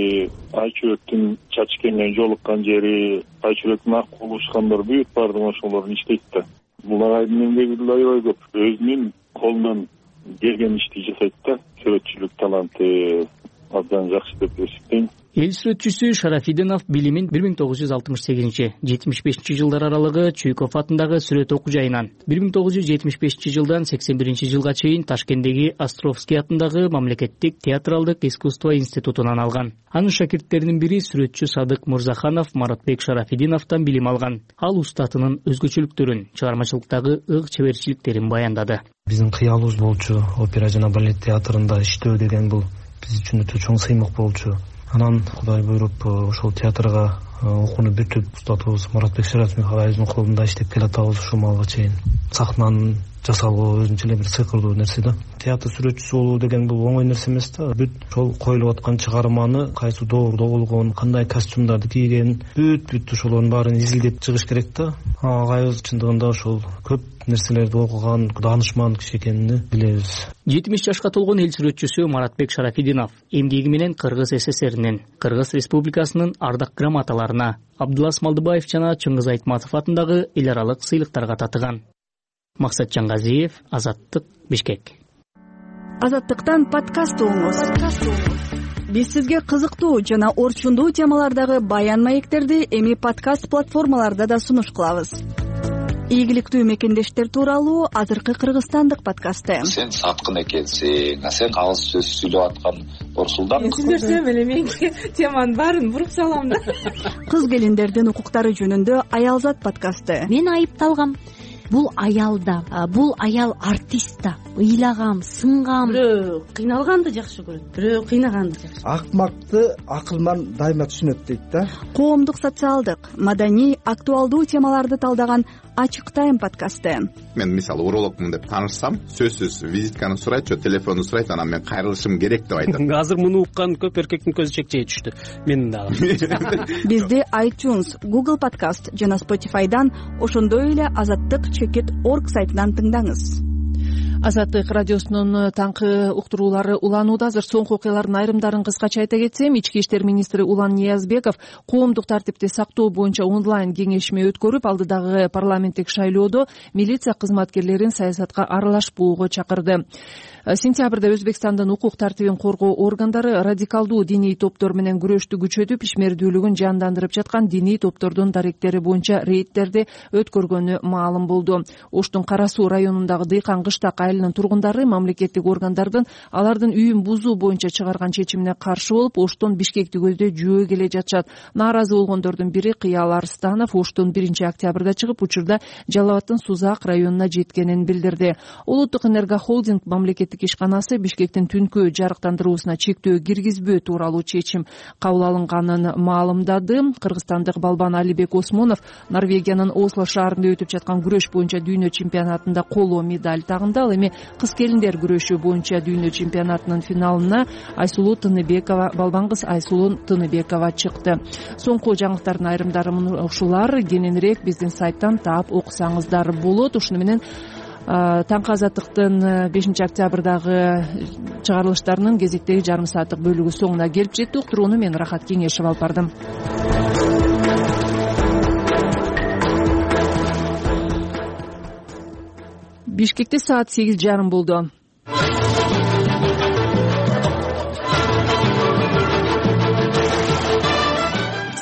Айчүрөктүн чачкенген жолуккан жери, Айчүрөктүн ак болушкандар бүт баардыгын ошолорун иштейт да. Бул агайдын эмгеги аябай көп. Өзүнүн колунан келген ишти жасайт да. Сүрөтчүлүк таланты абдан жакшы деп эсептейм. Эл сүрөтчүсү Шарафидинов билимин 1968-75 жылдар аралыгы Чуйков атындагы сүрөт окуу жайынан, 1975 жылдан 81 жылга чейин Ташкенттеги Островский атындагы мамлекеттик театралдык искусство институтунан алган. Анын шакирттеринин бири сүрөтчү Садык Мурзаханов Маратбек Шарафидиновдон билим алган. Ал устатынын өзгөчөлүктөрүн, чыгармачылыктагы ык чеберчиликтерин баяндады. Биздин кыялыбыз болчу опера жана балет театрында иштөө деген бул биз үчүн өтө чоң сыймык болчу. Анан Кудай буйруп ошол театрга окууну бүтүп, устатыбыз Маратбек Шарафидинов агайыбыздын колунда иштеп келатабыз ушул малга чейин. Сахнанын жасалуу өзүнчө эле бир сыйкырдуу нерсе да. Театр сүрөтчүсү болуу деген бул оңой нерсе эмес да. Бүт ошол коюлуп аткан чыгарманы кайсы доордо болгон, кандай костюмдарды кийген, бүт ошолордун баарын изилдеп чыгыш керек да. Агайыбыз чындыгында ошол көп нерселерди окуган, даанышман киши экенин билебиз. 70 жашка толгон эл сүрөтчүсү Маратбек Шарафидинов эмгеги менен Кыргыз СССРинин, Кыргыз Республикасынын ардак грамоталарына, Абдылас Малдыбаев жана Чыңгыз Айтматов атындагы эл аралык сыйлыктарга татыган. Максат Жаңгазиев, Азаттык, Бишкек. Азаттыктан подкаст угуңуз. Биз сизге кызыктуу жана орчундуу темалардагы баян маектерди эми подкаст платформаларда да сунуш кылабыз. Ийгиликтүү мекендештер тууралуу азыркы кыргызстандык подкасты. Сен саткын экенсиң, сен кагыз сөз сүйлөп аткан Орсулдан. Түшүндүрсөм эле мен теманын баарын буруп салам да. Кыз келиндердин укуктары жөнүндө Аялзат подкасты. Мен айыпталгам. Бул аялда, бул аял артист да. Ыйлагам, сынгам. Бирөө кыйналганды жакшы көрөт, бирөө кыйнаганды жакшы. Акмакты акылман дайыма түшүнөт дейт да. Коомдук, социалдык, маданий, актуалдуу темаларды талдаган Ачык тайм подкасты. Мен мисалы урологмун деп таанышсам, сөзсүз визитканы сурайт, же телефонду сурайт, анан мен кайрылышым керек деп айтам. Азыр муну уккан көп эркектин көзү чекчей түштү. Менин дагы. Бизди iTunes, Google Podcast жана Spotify'дан, ошондой эле Азаттык /org сайтынан тыңдаңыз. Азаттык радиосунун таңкы уктуруулары уланууда. Азыр соңку окуялардын айрымдарын кыскача айта кетсем, ички иштер министри Улан Ниязбеков коомдук тартипти сактоо боюнча онлайн кеңешме өткөрүп, алдыдагы парламенттик шайлоодо милиция кызматкерлерин саясатка аралашпоого чакырды. Сентябрда Өзбекстандын укук тартибин коргоо органдары радикалдуу диний топтор менен күрөштү күчөтүп, ишмердүүлүгүн жандандырып жаткан диний топтордун даректери боюнча рейдтерди өткөргөнү маалым болду. Оштун Кара Суу районундагы Дыйкан кыштак айылынын тургундары мамлекеттик органдардын алардын үйүн бузуу боюнча чыгарган чечимине каршы болуп, Оштон Бишкекти көздөй жөө келе жатышат. Нааразы болгондордун бири Кыял Арстанов Оштон 1-октябрда чыгып, учурда Жалал Абадтын Сузак районуна жеткенин билдирди. Улуттук энергохолдинг мамлекеттик ишканасы Бишкектин түнкү жарыктандыруусуна чектөө киргизбөө тууралуу чечим кабыл алынганын маалымдады. Кыргызстандык балбан Алибек Осмонов Норвегиянын Осло шаарында өтүп жаткан күрөш боюнча дүйнө чемпионатында коло медаль тагынды. Ал эми кыз келиндер күрөшү боюнча дүйнө чемпионатынын финалына балбан кыз Айсулуу Тыныбекова чыкты. Соңку жаңылыктардын айрымдары ушулар. Кененирээк биздин сайттан таап окусаңыздар болот. Ушуну менен таңкы азаттыктын 5-октябрдагы чыгарылыштарынын кезектеги жарым сааттык бөлүгү соңуна келип жетти. Уктурууну мен Рахат Кеңешев алып бардым. Бишкекте саат 8:30 болду.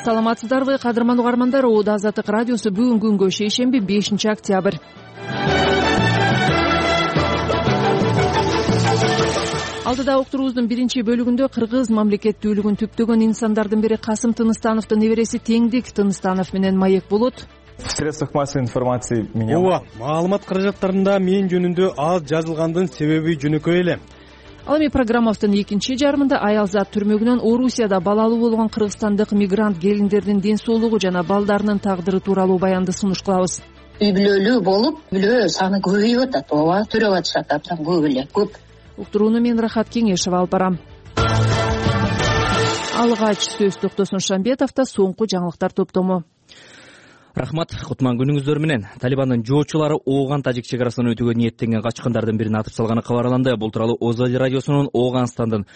Саламатсыздарбы, кадырман угармандар? Оода Азаттык радиосу бүгүнкү күнгө шейшемби 5-октябрь. Алдыда уктуруубуздун биринчи бөлүгүндө кыргыз мамлекеттүүлүгүн түптөгөн инсандардын бири Касым Тыныстановдун небереси Теңдик Тыныстанов менен маек болот. В средствах массовой информации меня... Ооба, маалымат каражаттарында мен жөнүндө аз жазылгандын себеби жөнөкөй эле. Ал эми программабыздын экинчи жарымында Аялзат түрмөгүнөн Орусияда балалуу болгон кыргызстандык мигрант келиндердин ден соолугу жана балдарынын тагдыры тууралуу баянды сунуш кылабыз. Үй бүлөлүү болуп, бүлө саны көбөйүп атат. Ооба, төрөп атышат абдан көп эле, көп. Уктурууну мен Рахат Кеңешев алып барам. Алгач сөз Токтосун Шамбетовдо соңку жаңылыктар топтому. Рахмат, кутман күнүңүздөр менен. Талибандын жоочулары Ооган-Тажик чек арасынан өтүүгө ниеттенген качкындардын бирин атып салганы кабарланды. Бул тууралуу Озали радиосунун Ооганстандын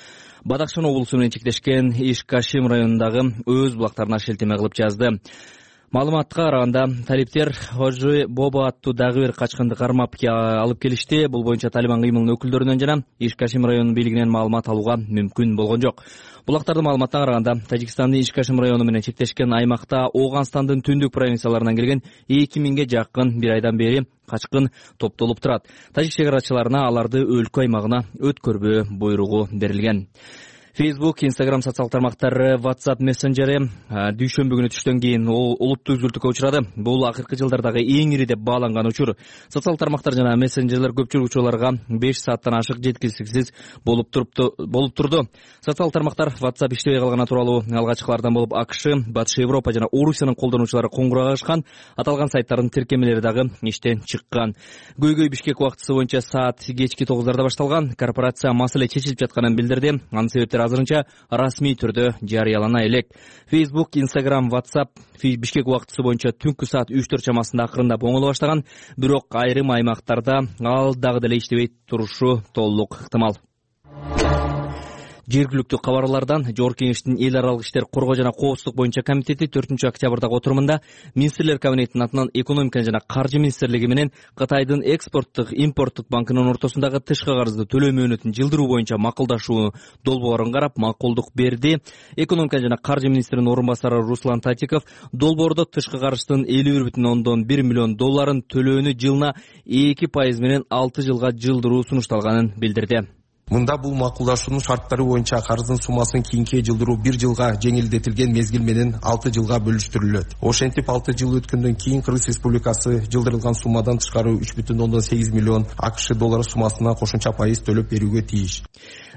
Бадахшан облусу менен чектешкен Иш-Кашим районундагы өз булактарына шилтеме кылып жазды. Маалыматка караганда, талиптер Хожи Боба аттуу дагы бир качкынды кармап алып келишти. Бул боюнча Талибан кыймылынын өкүлдөрүнөн жана Иш-Кашим районунун бийлигинен маалымат алууга мүмкүн болгон жок. Булактардын маалыматына караганда, Тажикстандын Иш-Кашим району менен чектешкен аймакта Ооганстандын түндүк провинцияларынан келген 2000ге жакын бир айдан бери качкын топтолуп турат. Тажик чек арачыларына аларды өлкө аймагына өткөрбөө буйругу берилген. Facebook, Instagram социалдык тармактары, WhatsApp мессенджери дүйшөмбү күнү түштөн кийин олуттуу үзүлтүүгө учурады. Бул акыркы жылдардагы эң ири деп бааланган учур. Социалдык тармактар жана мессенджерлер көпчүлүк учурларга 5 сааттан ашык жеткиликсиз болуп турду. Социалдык тармактар WhatsApp иштебей калганы тууралуу алгачкылардан болуп АКШ, Батыш Европа жана Орусиянын колдонуучулары коңгуроо кылышкан. Аталган сайттардын тиркемелери дагы иштен чыккан. Көйгөй Бишкек убактысы боюнча саат кечки 9:00 башталган. Корпорация маселе чечилип жатканын билдирди. Анын себептери азырынча расмий түрдө жарыялана элек. Facebook, Instagram, WhatsApp Бишкек убактысы боюнча түнкү саат 3-4 чамасында акырындап оңоло баштаган, бирок айрым аймактарда ал дагы деле иштебей турушу толук ыктымал. Жергиликтүү кабарлардан Жогорку Кеңештин эл аралык иштер коргоо жана коопсуздук боюнча комитети 4-октябрдагы отурумунда министрлер кабинетинин атынан экономика жана каржы министрлиги менен Кытайдын экспорттук импорттук банкынын ортосундагы тышкы карызды төлөө мөөнөтүн жылдыруу боюнча макулдашуу долбоорун карап макулдук берди. Экономика жана каржы министринин орун басары Руслан Татиков долбоордо тышкы карыздын 51,1 миллион долларын төлөөнү жылына 2% менен 6 жылга жылдыруу сунушталганын билдирди. Мында бул макулдашуунун шарттары боюнча карыздын суммасын кийинки жылдыруу 1 жылга жеңилдетилген мезгил менен 6 жылга бөлүштүрүлөт. Ошентип 6 жыл өткөндөн кийин Кыргыз Республикасы жылдырылган суммадан тышкары 3,8 миллион АКШ доллары суммасына кошумча пайыз төлөп берүүгө тийиш.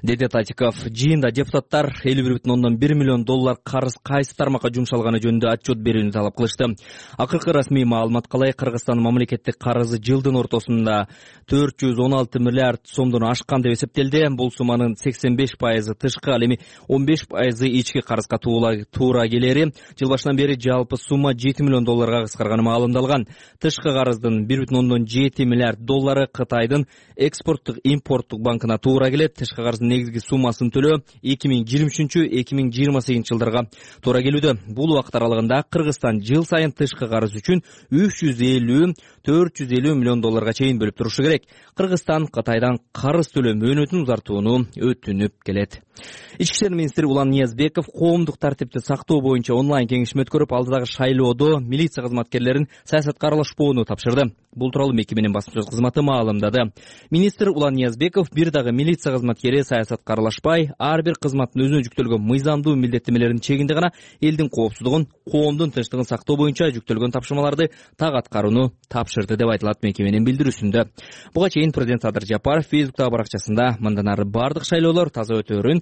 Деди Татиков, жыйында депутаттар 51,1 миллион доллар карыз кайсы тармакка жумшалганы жөнүндө отчет берүүнү талап кылышты. Акыркы расмий маалыматка ылайык Кыргызстандын мамлекеттик карызы жылдын ортосунда 416 миллиард сомдон ашкан деп эсептелди. эле бул сумманын 85% тышкы, ал эми 15% ички карызга туура келери жыл башынан бери жалпы сумма $7 миллион кыскарганы маалымдалган. Тышкы карыздын $1.7 миллиард Кытайдын экспорттук импорттук банкына туура келет. Тышкы карыздын негизги суммасын төлөө 2023-2028 жылдарга туура келүүдө. Бул убакыт аралыгында Кыргызстан жыл сайын тышкы карыз үчүн $350-450 миллион чейин бөлүп турушу керек. Кыргызстан Кытайдан карыз төлөө мөөнөтүн узартууну өтүнүп келет. Ички иштер министри Улан Ниязбеков коомдук тартипти сактоо боюнча онлайн кеңешме өткөрүп, алдыдагы шайлоодо милиция кызматкерлерин саясатка аралашпоону тапшырды. Бул тууралуу мекеменин басма сөз кызматы маалымдады. Министр Улан Ниязбеков бир дагы милиция кызматкери саясатка аралашпай, ар бир кызматтын өзүнө жүктөлгөн мыйзамдуу милдеттемелеринин чегинде гана элдин коопсуздугун, коомдун тынчтыгын сактоо боюнча жүктөлгөн тапшырмаларды так аткарууну тапшырды деп айтылат мекеменин билдирүүсүндө. Буга чейин президент Садыр Жапаров Фейсбуктагы баракчасында мындан ары бардык шайлоолор таза өтөөрүн,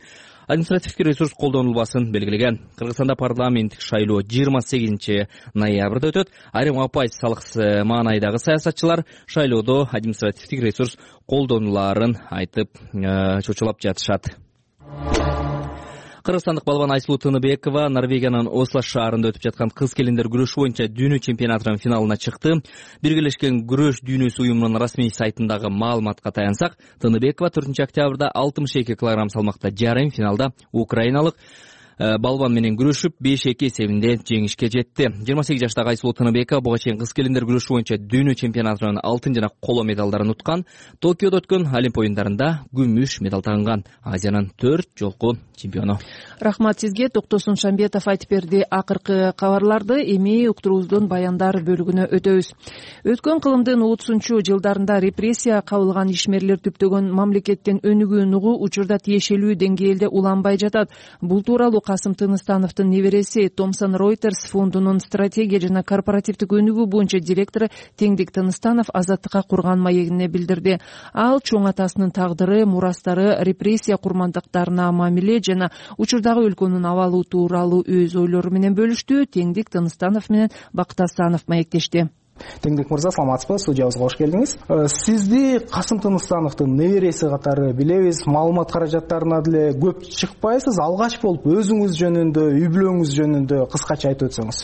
административдик ресурс колдонулбасын белгилеген. Кыргызстанда парламенттик шайлоо 28 ноябрда өтөт. Айрым оппозициялык маанайдагы саясатчылар шайлоодо административдик ресурс колдонулаарын айтып чочулап жатышат. Кыргызстандык балбан Айсулуу Тыныбекова Норвегиянын Осло шаарында өтүп жаткан кыз келиндер күрөшү боюнча дүйнө чемпионатынын финалына чыкты. Биргелешкен күрөш дүйнөсү уюмунун расмий сайтындагы маалыматка таянсак, Тыныбекова 4 октябрда 62 кг салмакта жарым финалда украиналык балбан менен күрөшүп 5-2 эсебинде жеңишке жетти. 28 жаштагы Айсулуу Тыныбекова буга чейин кыз келиндер күрөшү боюнча дүйнө чемпионатынын алтын жана коло медалдарын уткан. Токиодо өткөн Олимп оюндарында күмүш медаль тагынган. Азиянын 4 жолку чемпиону. Рахмат сизге. Токтосун Шамбетов айтып берди. Акыркы кабарларды эми уктуруубуздун баяндар бөлүгүнө өтөбүз. Өткөн кылымдын 30 жылдарында репрессия кабылган ишмерлер түптөгөн мамлекеттин өнүгүүн угуу учурда тиешелүү деңгээлде уланбай жатат. Бул тууралуу Касым Тыныстановдун небереси Томсон Reuters фондунун стратегия жана корпоративдик өнүгүү боюнча директору Теңдик Тыныстанов Азаттыкка курган маегине билдирди. Ал чоң атасынын тагдыры, мурастары, репрессия курмандыктарына мамиле жана учурдагы өлкөнүн абалы тууралуу өз ойлору менен бөлүштү. Теңдик Тыныстанов менен Бакыт Астанов маектешти. Теңдик мырза, саламатсызбы? Студиябызга кош келдиңиз. Сизди Касым Тыныстановдун небереси катары билебиз. Маалымат каражаттарына деле көп чыкпайсыз. Алгач болуп өзүңүз жөнүндө, үй бүлөңүз жөнүндө кыскача айтып өтсөңүз.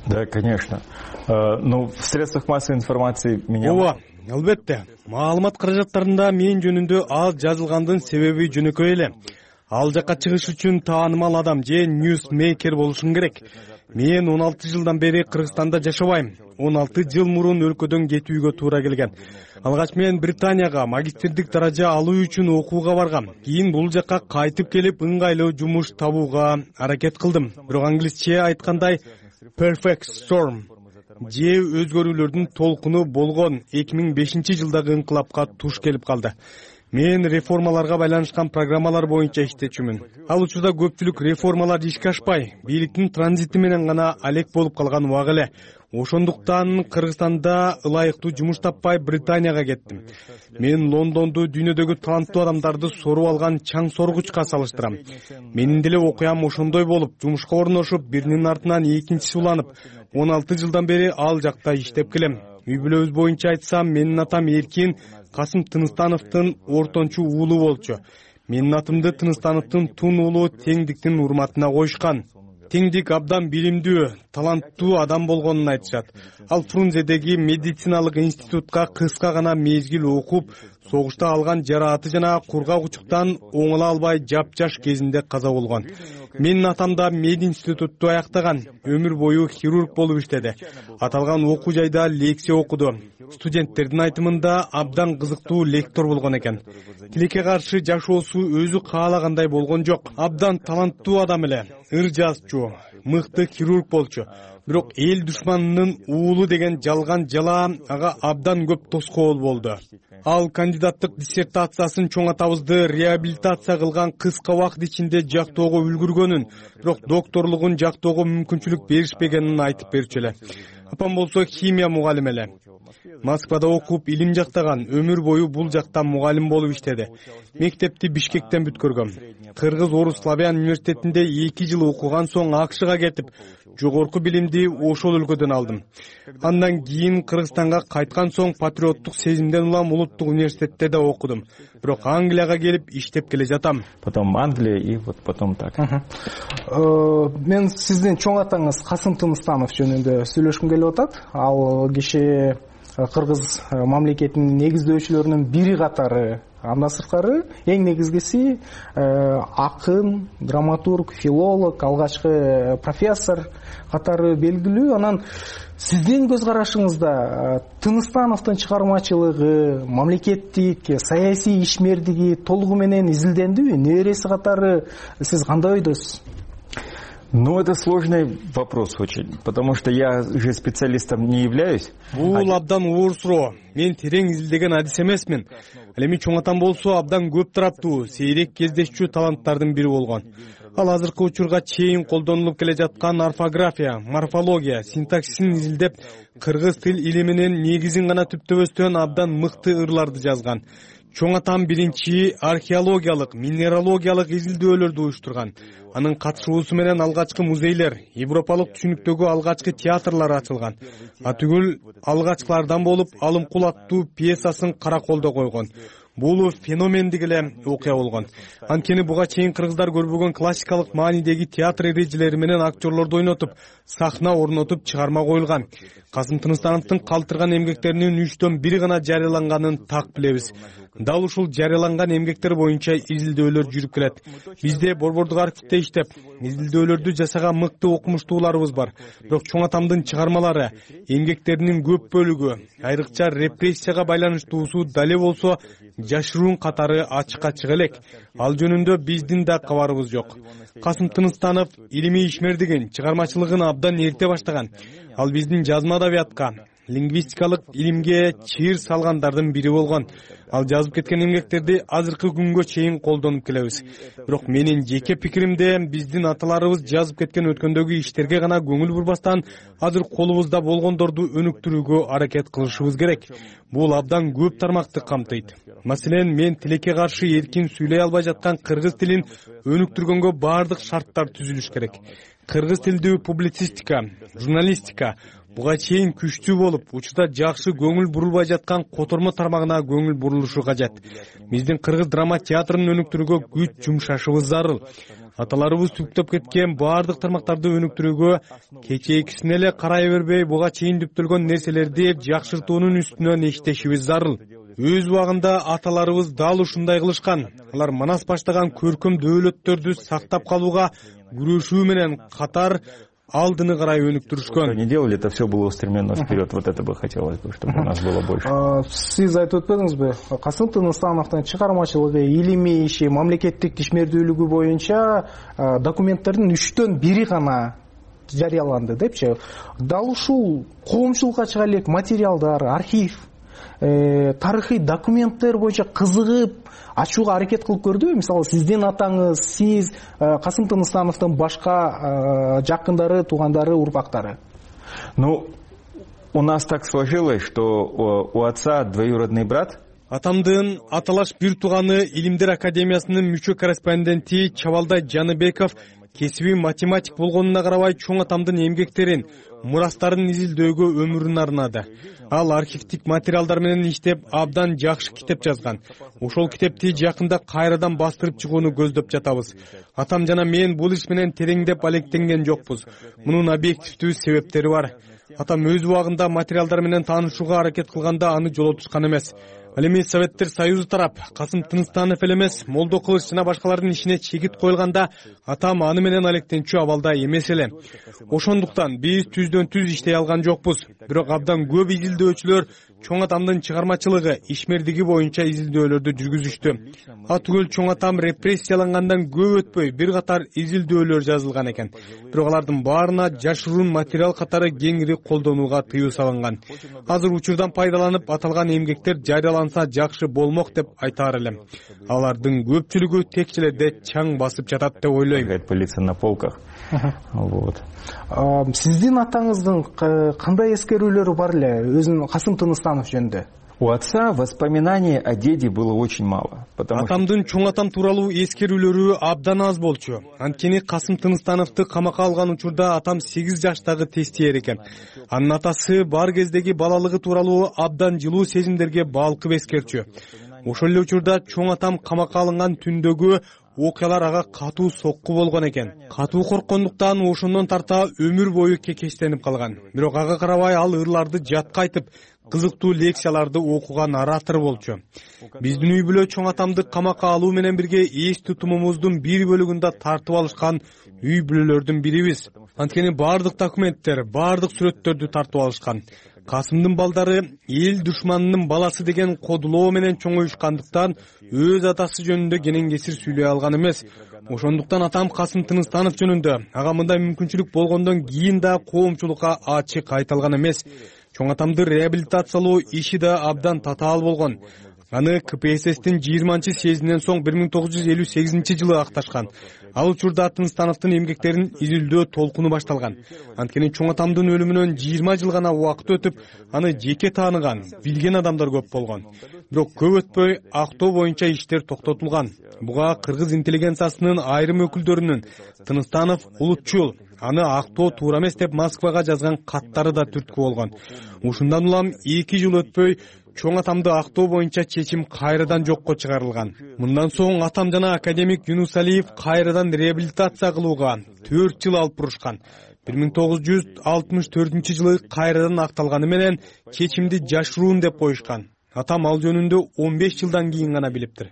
Да, конечно. В средствах массовой информации меня... Ооба, албетте. Маалымат каражаттарында мен жөнүндө аз жазылгандын себеби жөнөкөй эле. Ал жакка чыгыш үчүн таанымал адам же ньюсмейкер болушум керек. Мен 16 жылдан бери Кыргызстанда жашабайм. 16 жыл мурун өлкөдөн кетүүгө туура келген. Алгач мен Британияга магистрдик даража алуу үчүн окууга баргам. Кийин бул жакка кайтып келип ыңгайлуу жумуш табууга аракет кылдым. Бирок англисче айткандай perfect storm же өзгөрүүлөрдүн толкуну болгон 2005 жылдагы ыңкылапка туш келип калды. Мен реформаларга байланышкан программалар боюнча иштечүмүн. Ал учурда көпчүлүк реформалар ишке ашпай, бийликтин транзити менен гана алек болуп калган убак эле. Ошондуктан Кыргызстанда ылайыктуу жумуш таппай Британияга кеттим. Мен Лондонду дүйнөдөгү таланттуу адамдарды соруп алган чаң соргучка салыштырам. Менин деле окуям ошондой болуп, жумушка орношуп, биринин артынан экинчиси уланып, 16 жылдан бери ал жакта иштеп келем. Үй бүлөбүз боюнча айтсам, менин атам Эркин Касым Тыныстановдун ортончу уулу болчу. Менин атымды Тыныстановдун тун уулу Теңдиктин урматына коюшкан. Теңдик абдан билимдүү, таланттуу адам болгонун айтышат. Ал Фрунзедеги медициналык институтка кыска гана мезгил окуп, согушта алган жарааты жана кургак учуктан оңоло албай жапжаш кезинде каза болгон. Менин атам да мединститутту аяктаган, өмүр бою хирург болуп иштеди. Аталган окуу жайда лекция окуду. Студенттердин айтымында абдан кызыктуу лектор болгон экен. Тилекке каршы жашоосу өзү каалагандай болгон жок. Абдан таланттуу адам эле, ыр жазчу, мыкты хирург болчу. Бирок эл душманынын уулу деген жалган жала ага абдан көп тоскоол болду. Ал кандидаттык диссертациясын чоң атабызды реабилитация кылган кыска убакыт ичинде жактоого үлгүргөнүн, бирок докторлугун жактоого мүмкүнчүлүк беришпегенин айтып берчү эле. Апам болсо химия мугалими эле. Москвада окуп илим жактаган, өмүр бою бул жакта мугалим болуп иштеди. Мектепти Бишкектен бүткөргөм. Кыргыз Орус Славян университетинде 2 жыл окуган соң АКШга кетип, жогорку билимди ошол өлкөдөн алдым. Андан кийин Кыргызстанга кайткан соң патриоттук сезимден улам улуттук университетте да окудум. Бирок Англияга келип иштеп келе жатам. Потом Англия и вот потом так. Мен сиздин чоң атаңыз Касым Тыныстанов жөнүндө сүйлөшкүм келип атат. Ал киши кыргыз мамлекетинин негиздөөчүлөрүнүн бири катары. Андан сырткары эң негизгиси акын, драматург, филолог, алгачкы профессор катары белгилүү. Анан сиздин көз карашыңызда Тыныстановдун чыгармачылыгы, мамлекеттик, саясий ишмердиги толугу менен изилдендиби? Небереси катары сиз кандай ойдосуз? Ну, это сложный вопрос очень, потому что я же специалистом не являюсь. Бул абдан оор суроо. Мен терең изилдеген адис эмесмин. Ал эми чоң атам болсо абдан көп тараптуу, сейрек кездешчү таланттардын бири болгон. Ал азыркы учурга чейин колдонулуп келе жаткан орфография, морфология, синтаксисин изилдеп, кыргыз тил илиминин негизин гана түптөбөстөн абдан мыкты ырларды жазган. Чоң атам биринчи археологиялык, минералогиялык изилдөөлөрдү уюштурган. Анын катышуусу менен алгачкы музейлер, европалык түшүнүктөгү алгачкы театрлар ачылган. Атүгүл алгачкылардан болуп Алымкул аттуу пьесасын кара колдо койгон. Бул феномендик эле окуя болгон. Анткени буга чейин кыргыздар көрбөгөн классикалык маанидеги театр эрежелери менен актерлорду ойнотуп, сахна орнотуп чыгарма коюлган. Касым Тыныстановдун калтырган эмгектеринин 3/1 гана жарыяланганын так билебиз. Дал ушул жарыяланган эмгектер боюнча изилдөөлөр жүрүп келет. Бизде борбордук архивде иштеп, изилдөөлөрдү жасаган мыкты окумуштууларыбыз бар. Бирок чоң атамдын чыгармалары, эмгектеринин көп бөлүгү, айрыкча репрессияга байланыштуусу дале болсо, жашыруун катары ачыкка чыга элек. Ал жөнүндө биздин да кабарыбыз жок. Касым Тыныстанов илимий ишмердигин, чыгармачылыгын абдан эрте баштаган. Ал биздин жазма адабиятка, лингвистикалык илимге чыйыр салгандардын бири болгон. Ал жазып кеткен эмгектерди азыркы күнгө чейин колдонуп келебиз. Бирок менин жеке пикиримде биздин аталарыбыз жазып кеткен өткөндөгү иштерге гана көңүл бурбастан, азыр колубузда болгондорду өнүктүрүүгө аракет кылышыбыз керек. Бул абдан көп тармакты камтыйт. Маселен, мен тилекке каршы эркин сүйлөй албай жаткан кыргыз тилин өнүктүргөнгө баардык шарттар түзүлүш керек. Кыргыз тилдүү публицистика, журналистика буга чейин күчтүү болуп, учурда жакшы көңүл бурулбай жаткан котормо тармагына көңүл бурулушу кажет. Биздин кыргыз драма театрын өнүктүрүүгө күч жумшашыбыз зарыл. Аталарыбыз түптөп кеткен баардык тармактарды өнүктүрүүгө кечээкисине эле карай бербей, буга чейин түптөлгөн нерселерди жакшыртуунун үстүнөн иштешибиз зарыл. Өз убагында аталарыбыз дал ушундай кылышкан. Алар Манас баштаган көркөм дөөлөттөрдү сактап калууга күрөшүү менен катар алдыны карай өнүктүрүшкөн. Не делали, это все было устремлено вперед. Вот это бы хотелось бы, чтобы у нас было больше. Сиз айтып өтпөдүңүзбү? Касым Тыныстановдун чыгармачылыгы, илимий иши, мамлекеттик ишмердүүлүгү боюнча документтердин 3/1 гана жарыяланды депчи. Дал ушул коомчулукка чыга элек материалдар, архив, тарыхый документтер боюнча кызыгып ачууга аракет кылып көрдүбү? Мисалы, сиздин атаңыз, сиз, Касым Тыныстановдун башка жакындары, туугандары, урпактары. Ну, у нас так сложилось, что у отца двоюродный брат. Атамдын аталаш бир тууганы Илимдер академиясынын мүчө корреспонденти Чабалдай Жаныбеков кесиби математик болгонуна карабай чоң атамдын эмгектерин, мурастарын изилдөөгө өмүрүн арнады. Ал архивдик материалдар менен иштеп, абдан жакшы китеп жазган. Ошол китепти жакында кайрадан бастырып чыгууну көздөп жатабыз. Атам жана мен бул иш менен тереңдеп алектенген жокпуз. Мунун объективдүү себептери бар. Атам өз убагында материалдар менен таанышууга аракет кылганда аны жолотушкан эмес. Ал эми Советтер Союзу тарап Касым Тыныстанов эле эмес, Молдо Кылыч жана башкалардын ишине чегит коюлганда атам аны менен алектенчү абалда эмес эле. Ошондуктан биз түздөн түз иштей алган жокпуз. Бирок абдан көп изилдөөчүлөр чоң атамдын чыгармачылыгы, ишмердиги боюнча изилдөөлөрдү жүргүзүштү. Атүгөл чоң атам репрессиялангандан көп өтпөй бир катар изилдөөлөр жазылган экен. Бирок алардын баарына жашыруун материал катары кеңири колдонууга тыюу салынган. Азыр учурдан пайдаланып аталган эмгектер жарыяланса жакшы болмок деп айтаар элем. Алардын көпчүлүгү текчелерде чаң басып жатат деп ойлойм. Пылиться на полках. Вот. Сиздин атаңыздын кандай эскерүүлөрү бар эле өзүнүн Касым Тыныстанов жөнүндө? У отца воспоминаний о деде было очень мало. Атамдын чоң атам тууралуу эскерүүлөрү абдан аз болчу. Анткени Касым Тыныстановду камакка алган учурда атам 8 жаштагы тестиер экен. Анын атасы бар кездеги балалыгы тууралуу абдан жылуу сезимдерге балкып эскерчү. Ошол эле учурда чоң атам камакка алынган түндөгү окуялар ага катуу сокку болгон экен. Катуу корккондуктан ошондон тарта өмүр бою кекештенип калган. Бирок ага карабай ал ырларды жатка айтып, кызыктуу лекцияларды окуган оратор болчу. Биздин үй бүлө чоң атамды камакка алуу менен бирге эс тутумумуздун бир бөлүгүндө тартып алышкан үй бүлөлөрдүн бирибиз. Анткени баардык документтер, баардык сүрөттөрдү тартып алышкан. Касымдын балдары эл душманынын баласы деген кодулоо менен чоңоюшкандыктан өз атасы жөнүндө кенен кесир сүйлөй алган эмес. Ошондуктан атам Касым Тыныстанов жөнүндө ага мындай мүмкүнчүлүк болгондон кийин да коомчулукка ачык айталган эмес. Чоң атамды реабилитациялоо иши да абдан татаал болгон. Аны КПССтин 20-съездинен соң 1958-жылы акташкан. Ал учурда Тыныстановдун эмгектерин изилдөө толкуну башталган. Анткени чоң атамдын өлүмүнөн 20 жыл гана убакыт өтүп, аны жеке тааныган, билген адамдар көп болгон. Бирок көп өтпөй актоо боюнча иштер токтотулган. Буга кыргыз интеллигенциясынын айрым өкүлдөрүнүн Тыныстанов улутчул, аны актоо туура эмес деп Москвага жазган каттары да түрткү болгон. Ушундан улам 2 жыл өтпөй чоң атамды актоо боюнча чечим кайрадан жокко чыгарылган. Мындан соң атам жана академик Юнусалиев кайрадан реабилитация кылууга 4 жыл алып бурушкан. 1964-жылы кайрадан акталганы менен чечимди жашыруун деп коюшкан. Атам ал жөнүндө 15 жылдан кийин гана билиптир.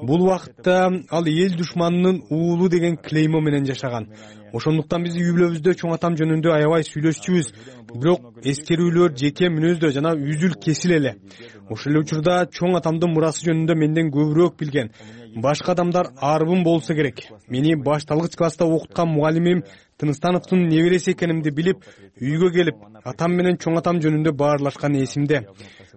Бул убакытта ал эл душманынын уулу деген клеймо менен жашаган. Ошондуктан биз үй бүлөбүздө чоң атам жөнүндө аябай сүйлөшчүбүз. Бирок эскерүүлөр жеке мүнөздө жана үзүл кесил эле. Ошол эле учурда чоң атамдын мурасы жөнүндө менден көбүрөөк билген башка адамдар арбын болсо керек. Мени башталгыч класста окуткан мугалимим Тыныстановдун небереси экенимди билип, үйгө келип, атам менен чоң атам жөнүндө баарлашкан эсимде.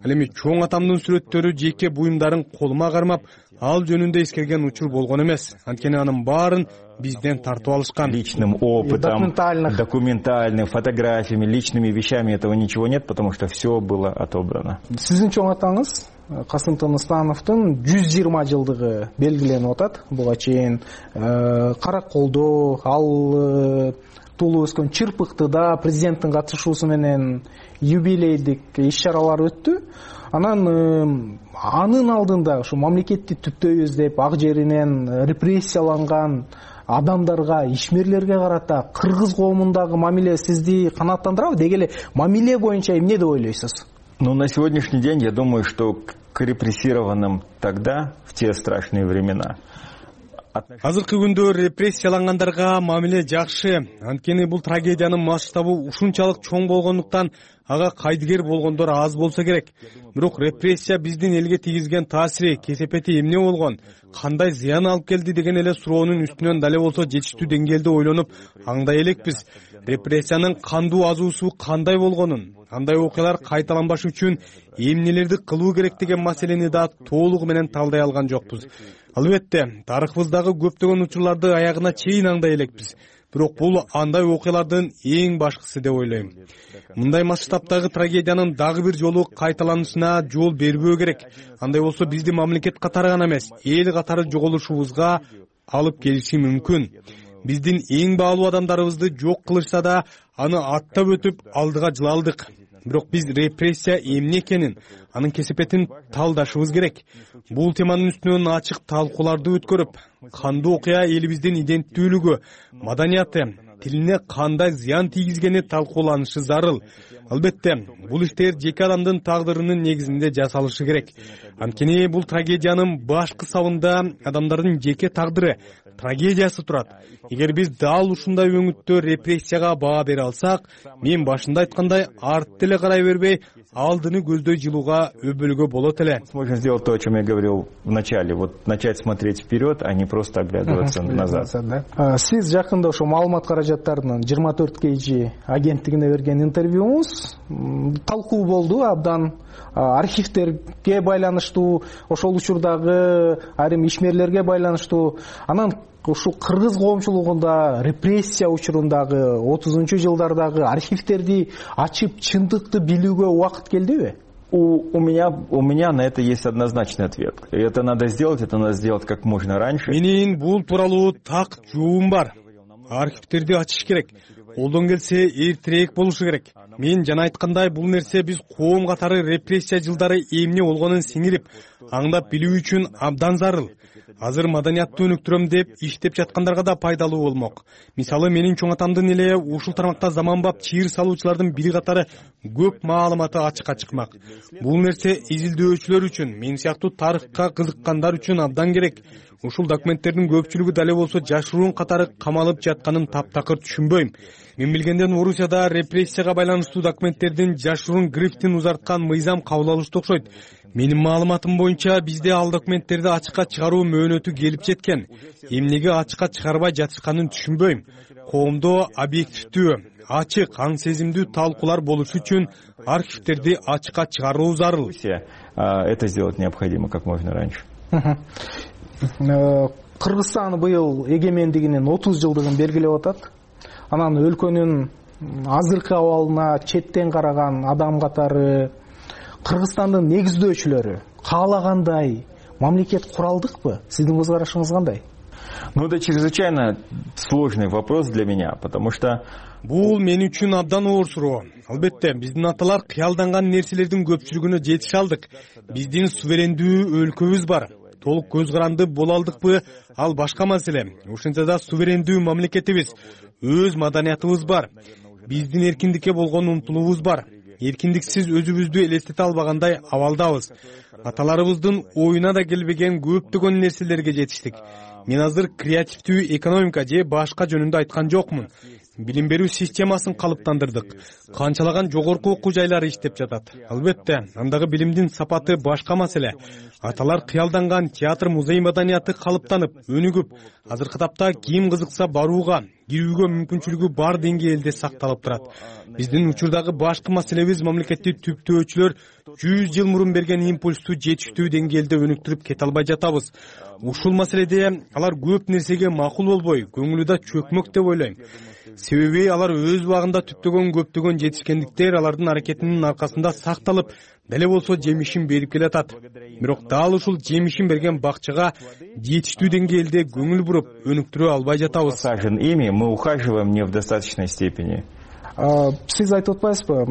Ал эми чоң атамдын сүрөттөрү жеке буюмдарын колума кармап, ал жөнүндө эскерген учур болгон эмес. Анткени анын баарын бизден тартып алышкан. Личным опытом, документальным, фотографиями, личными вещами этого ничего нет, потому что все было отобрано. Сиздин чоң атаңыз Касым Тыныстановдун 120 жылдыгы белгиленип атат. Буга чейин Караколдо, ал туулуп өскөн Чырпыктыда президенттин катышуусу менен юбилейдик иш-чаралар өттү. Анан анын алдында ушу мамлекетти түптөйбүз деп ак жеринен репрессияланган адамдарга, ишмерлерге карата кыргыз коомундагы мамиле сизди канааттандырабы? Деги эле мамиле боюнча эмне деп ойлойсуз? Ну, на сегодняшний день я думаю, что к репрессированным тогда, в те страшные времена, азыркы күндө репрессиялангандарга мамиле жакшы. Анткени бул трагедиянын масштабы ушунчалык чоң болгондуктан ага кайдыгер болгондор аз болсо керек. Бирок репрессия биздин элге тийгизген таасири, кесепети эмне болгон, кандай зыян алып келди деген эле суроонун үстүнөн дале болсо жетиштүү деңгээлде ойлонуп аңдай элекпиз. Репрессиянын кандуу азуусу кандай болгонун, андай окуялар кайталанбаш үчүн эмнелерди кылуу керек деген маселени да толугу менен талдай алган жокпуз. Албетте, тарыхыбыздагы көптөгөн учурларды аягына чейин аңдай элекпиз. Бирок бул андай окуялардын эң башкысы деп ойлойм. Мындай масштабтагы трагедиянын дагы бир жолу кайталанышына жол бербөө керек. Андай болсо бизди мамлекет катары гана эмес, эл катары жоголушубузга алып келиши мүмкүн. Биздин эң баалуу адамдарыбызды жок кылышса да, аны аттап өтүп алдыга жылалдык. Бирок биз репрессия эмне экенин, анын кесепетин талдашыбыз керек. Бул теманын үстүнөн ачык талкууларды өткөрүп, кандуу окуя элибиздин иденттүүлүгү, маданияты, тилине кандай зыян тийгизгени талкууланышы зарыл. Албетте, бул иштер жеке адамдын тагдырынын негизинде жасалышы керек. Анткени бул трагедиянын башкы сабында адамдардын жеке тагдыры, трагедиясы турат. Эгер биз дал ушундай өңүттө репрессияга баа бере алсак, мен башында айткандай, артты эле карай бербей, алдыны көздөй жылууга өбөлгө болот эле. Можно сделать то, о чем я говорил в начале, вот начать смотреть вперед, а не просто оглядываться назад. Сиз жакында ошо маалымат каражаттарынын 24 KG агенттигине берген интервьюңуз талкуу болду абдан. Архивтерге байланыштуу, ошол учурдагы айрым ишмерлерге байланыштуу. Анан ушу кыргыз коомчулугунда репрессия учурундагы 30-жылдардагы архивтерди ачып чындыкты билүүгө убакыт келдиби? У меня на это есть однозначный ответ. Это надо сделать как можно раньше. Менин бул тууралуу так жообум бар. Архивтерди ачыш керек. Колдон келсе эртерээк болушу керек. Мен жана айткандай, бул нерсе биз коом катары репрессия жылдары эмне болгонун сиңирип, аңдап билүү үчүн абдан зарыл. Азыр маданиятты өнүктүрөм деп иштеп жаткандарга да пайдалуу болмок. Мисалы, менин чоң атамдын эле ушул тармакта заманбап чыйыр салуучулардын бири катары көп маалыматы ачыкка чыкмак. Бул нерсе изилдөөчүлөр үчүн, мен сыяктуу тарыхка кызыккандар үчүн абдан керек. Ушул документтердин көпчүлүгү дале болсо жашыруун катары камалып жатканын таптакыр түшүнбөйм. Мен билгенден Орусияда репрессияга байланыштуу документтердин жашыруун грифтин узарткан мыйзам кабыл алыштуу окшойт. Менин маалыматым боюнча бизде ал документтерди ачыкка чыгаруу мөөнөтү келип жеткен. Эмнеге ачыкка чыгарбай жатышканын түшүнбөйм. Коомдо объективдүү, ачык, аң сезимдүү талкуулар болушу үчүн архивтерди ачыкка чыгаруу зарыл. Это сделать необходимо как можно раньше. Кыргызстан быйыл эгемендигинин 30 жылдыгын белгилеп атат. Анан өлкөнүн азыркы абалына четтен караган адам катары Кыргызстандын негиздөөчүлөрү каалагандай мамлекет куралдыкпы? Сиздин көз карашыңыз кандай? Ну, это чрезвычайно сложный вопрос для меня, потому что бул мен үчүн абдан оор суроо. Албетте, биздин аталар кыялданган нерселердин көпчүлүгүнө жетише алдык. Биздин суверендүү өлкөбүз бар. Толук көз каранды боло алдыкпы, ал башка маселе. Ошентсе да суверендүү мамлекетибиз, өз маданиятыбыз бар. Биздин эркиндикке болгон умтулуубуз бар. Эркиндиксиз өзүбүздү элестете албагандай абалдабыз. Аталарыбыздын оюна да келбеген көптөгөн нерселерге жетиштик. Мен азыр креативдүү экономика же башка жөнүндө айткан жокмун. Билим берүү системасын калыптандырдык. Канчалаган жогорку окуу жайлары иштеп жатат. Албетте, андагы билимдин сапаты башка маселе. Аталар кыялданган театр, музей маданияты калыптанып, өнүгүп, азыркы тапта ким кызыкса барууга, кирүүгө мүмкүнчүлүгү бар деңгээлде сакталып турат. Биздин учурдагы башкы маселебиз мамлекетти түптөөчүлөр 100 жыл мурун берген импульсту жетиштүү деңгээлде өнүктүрүп кете албай жатабыз. Ушул маселеде алар көп нерсеге макул болбой, көңүлү да чөкмөк деп ойлойм. Себеби алар өз убагында түптөгөн көптөгөн жетишкендиктер алардын аракетинин аркасында сакталып, деле болсо жемишин берип келатат. Бирок дал ушул жемишин берген бакчага жетиштүү деңгээлде көңүл буруп, өнүктүрө албай жатабыз. Ими мы ухаживаем не в достаточной степени. Сиз айтып атпайсызбы?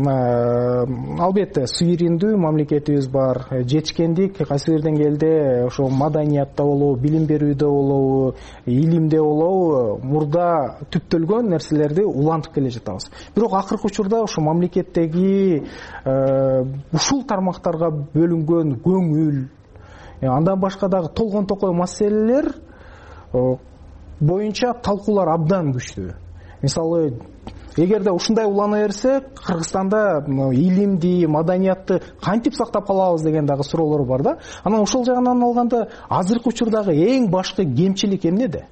Албетте, суверендүү мамлекетибиз бар. Жетишкендик кайсы бир деңгээлде ошо маданиятта болобу, билим берүүдө болобу, илимде болобу, мурда түптөлгөн нерселерди улантып келе жатабыз. Бирок акыркы учурда ошо мамлекеттеги ушул тармактарга бөлүнгөн көңүл, андан башка дагы толгон токой маселелер боюнча талкуулар абдан күчтүү. Мисалы, эгерде ушундай улана берсе, Кыргызстанда илимди, маданиятты кантип сактап калабыз деген дагы суроолор бар да. Анан ошол жагынан алганда, азыркы учурдагы эң башкы кемчилик эмнеде?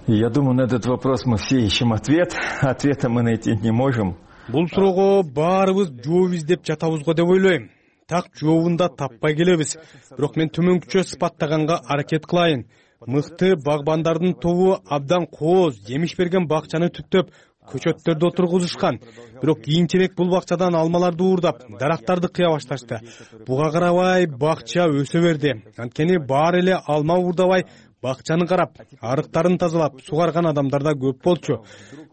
Я думаю, на этот вопрос мы все ищем ответ. Ответа мы найти не можем. Бул суроого баарыбыз жооп издеп жатабыз го деп ойлойм. Так жообун да таппай келебиз. Бирок мен төмөнкүчө сыпаттаганга аракет кылайын. Мыкты багбандардын тобу абдан кооз, жемиш берген бакчаны түптөп, көчөттөрдү отургузушкан. Бирок кийинчерээк бул бакчадан алмаларды уурдап, дарактарды кыя башташты. Буга карабай бакча өсө берди. Анткени баары эле алма уурдабай, бакчаны карап, арыктарын тазалап, сугарган адамдар да көп болчу.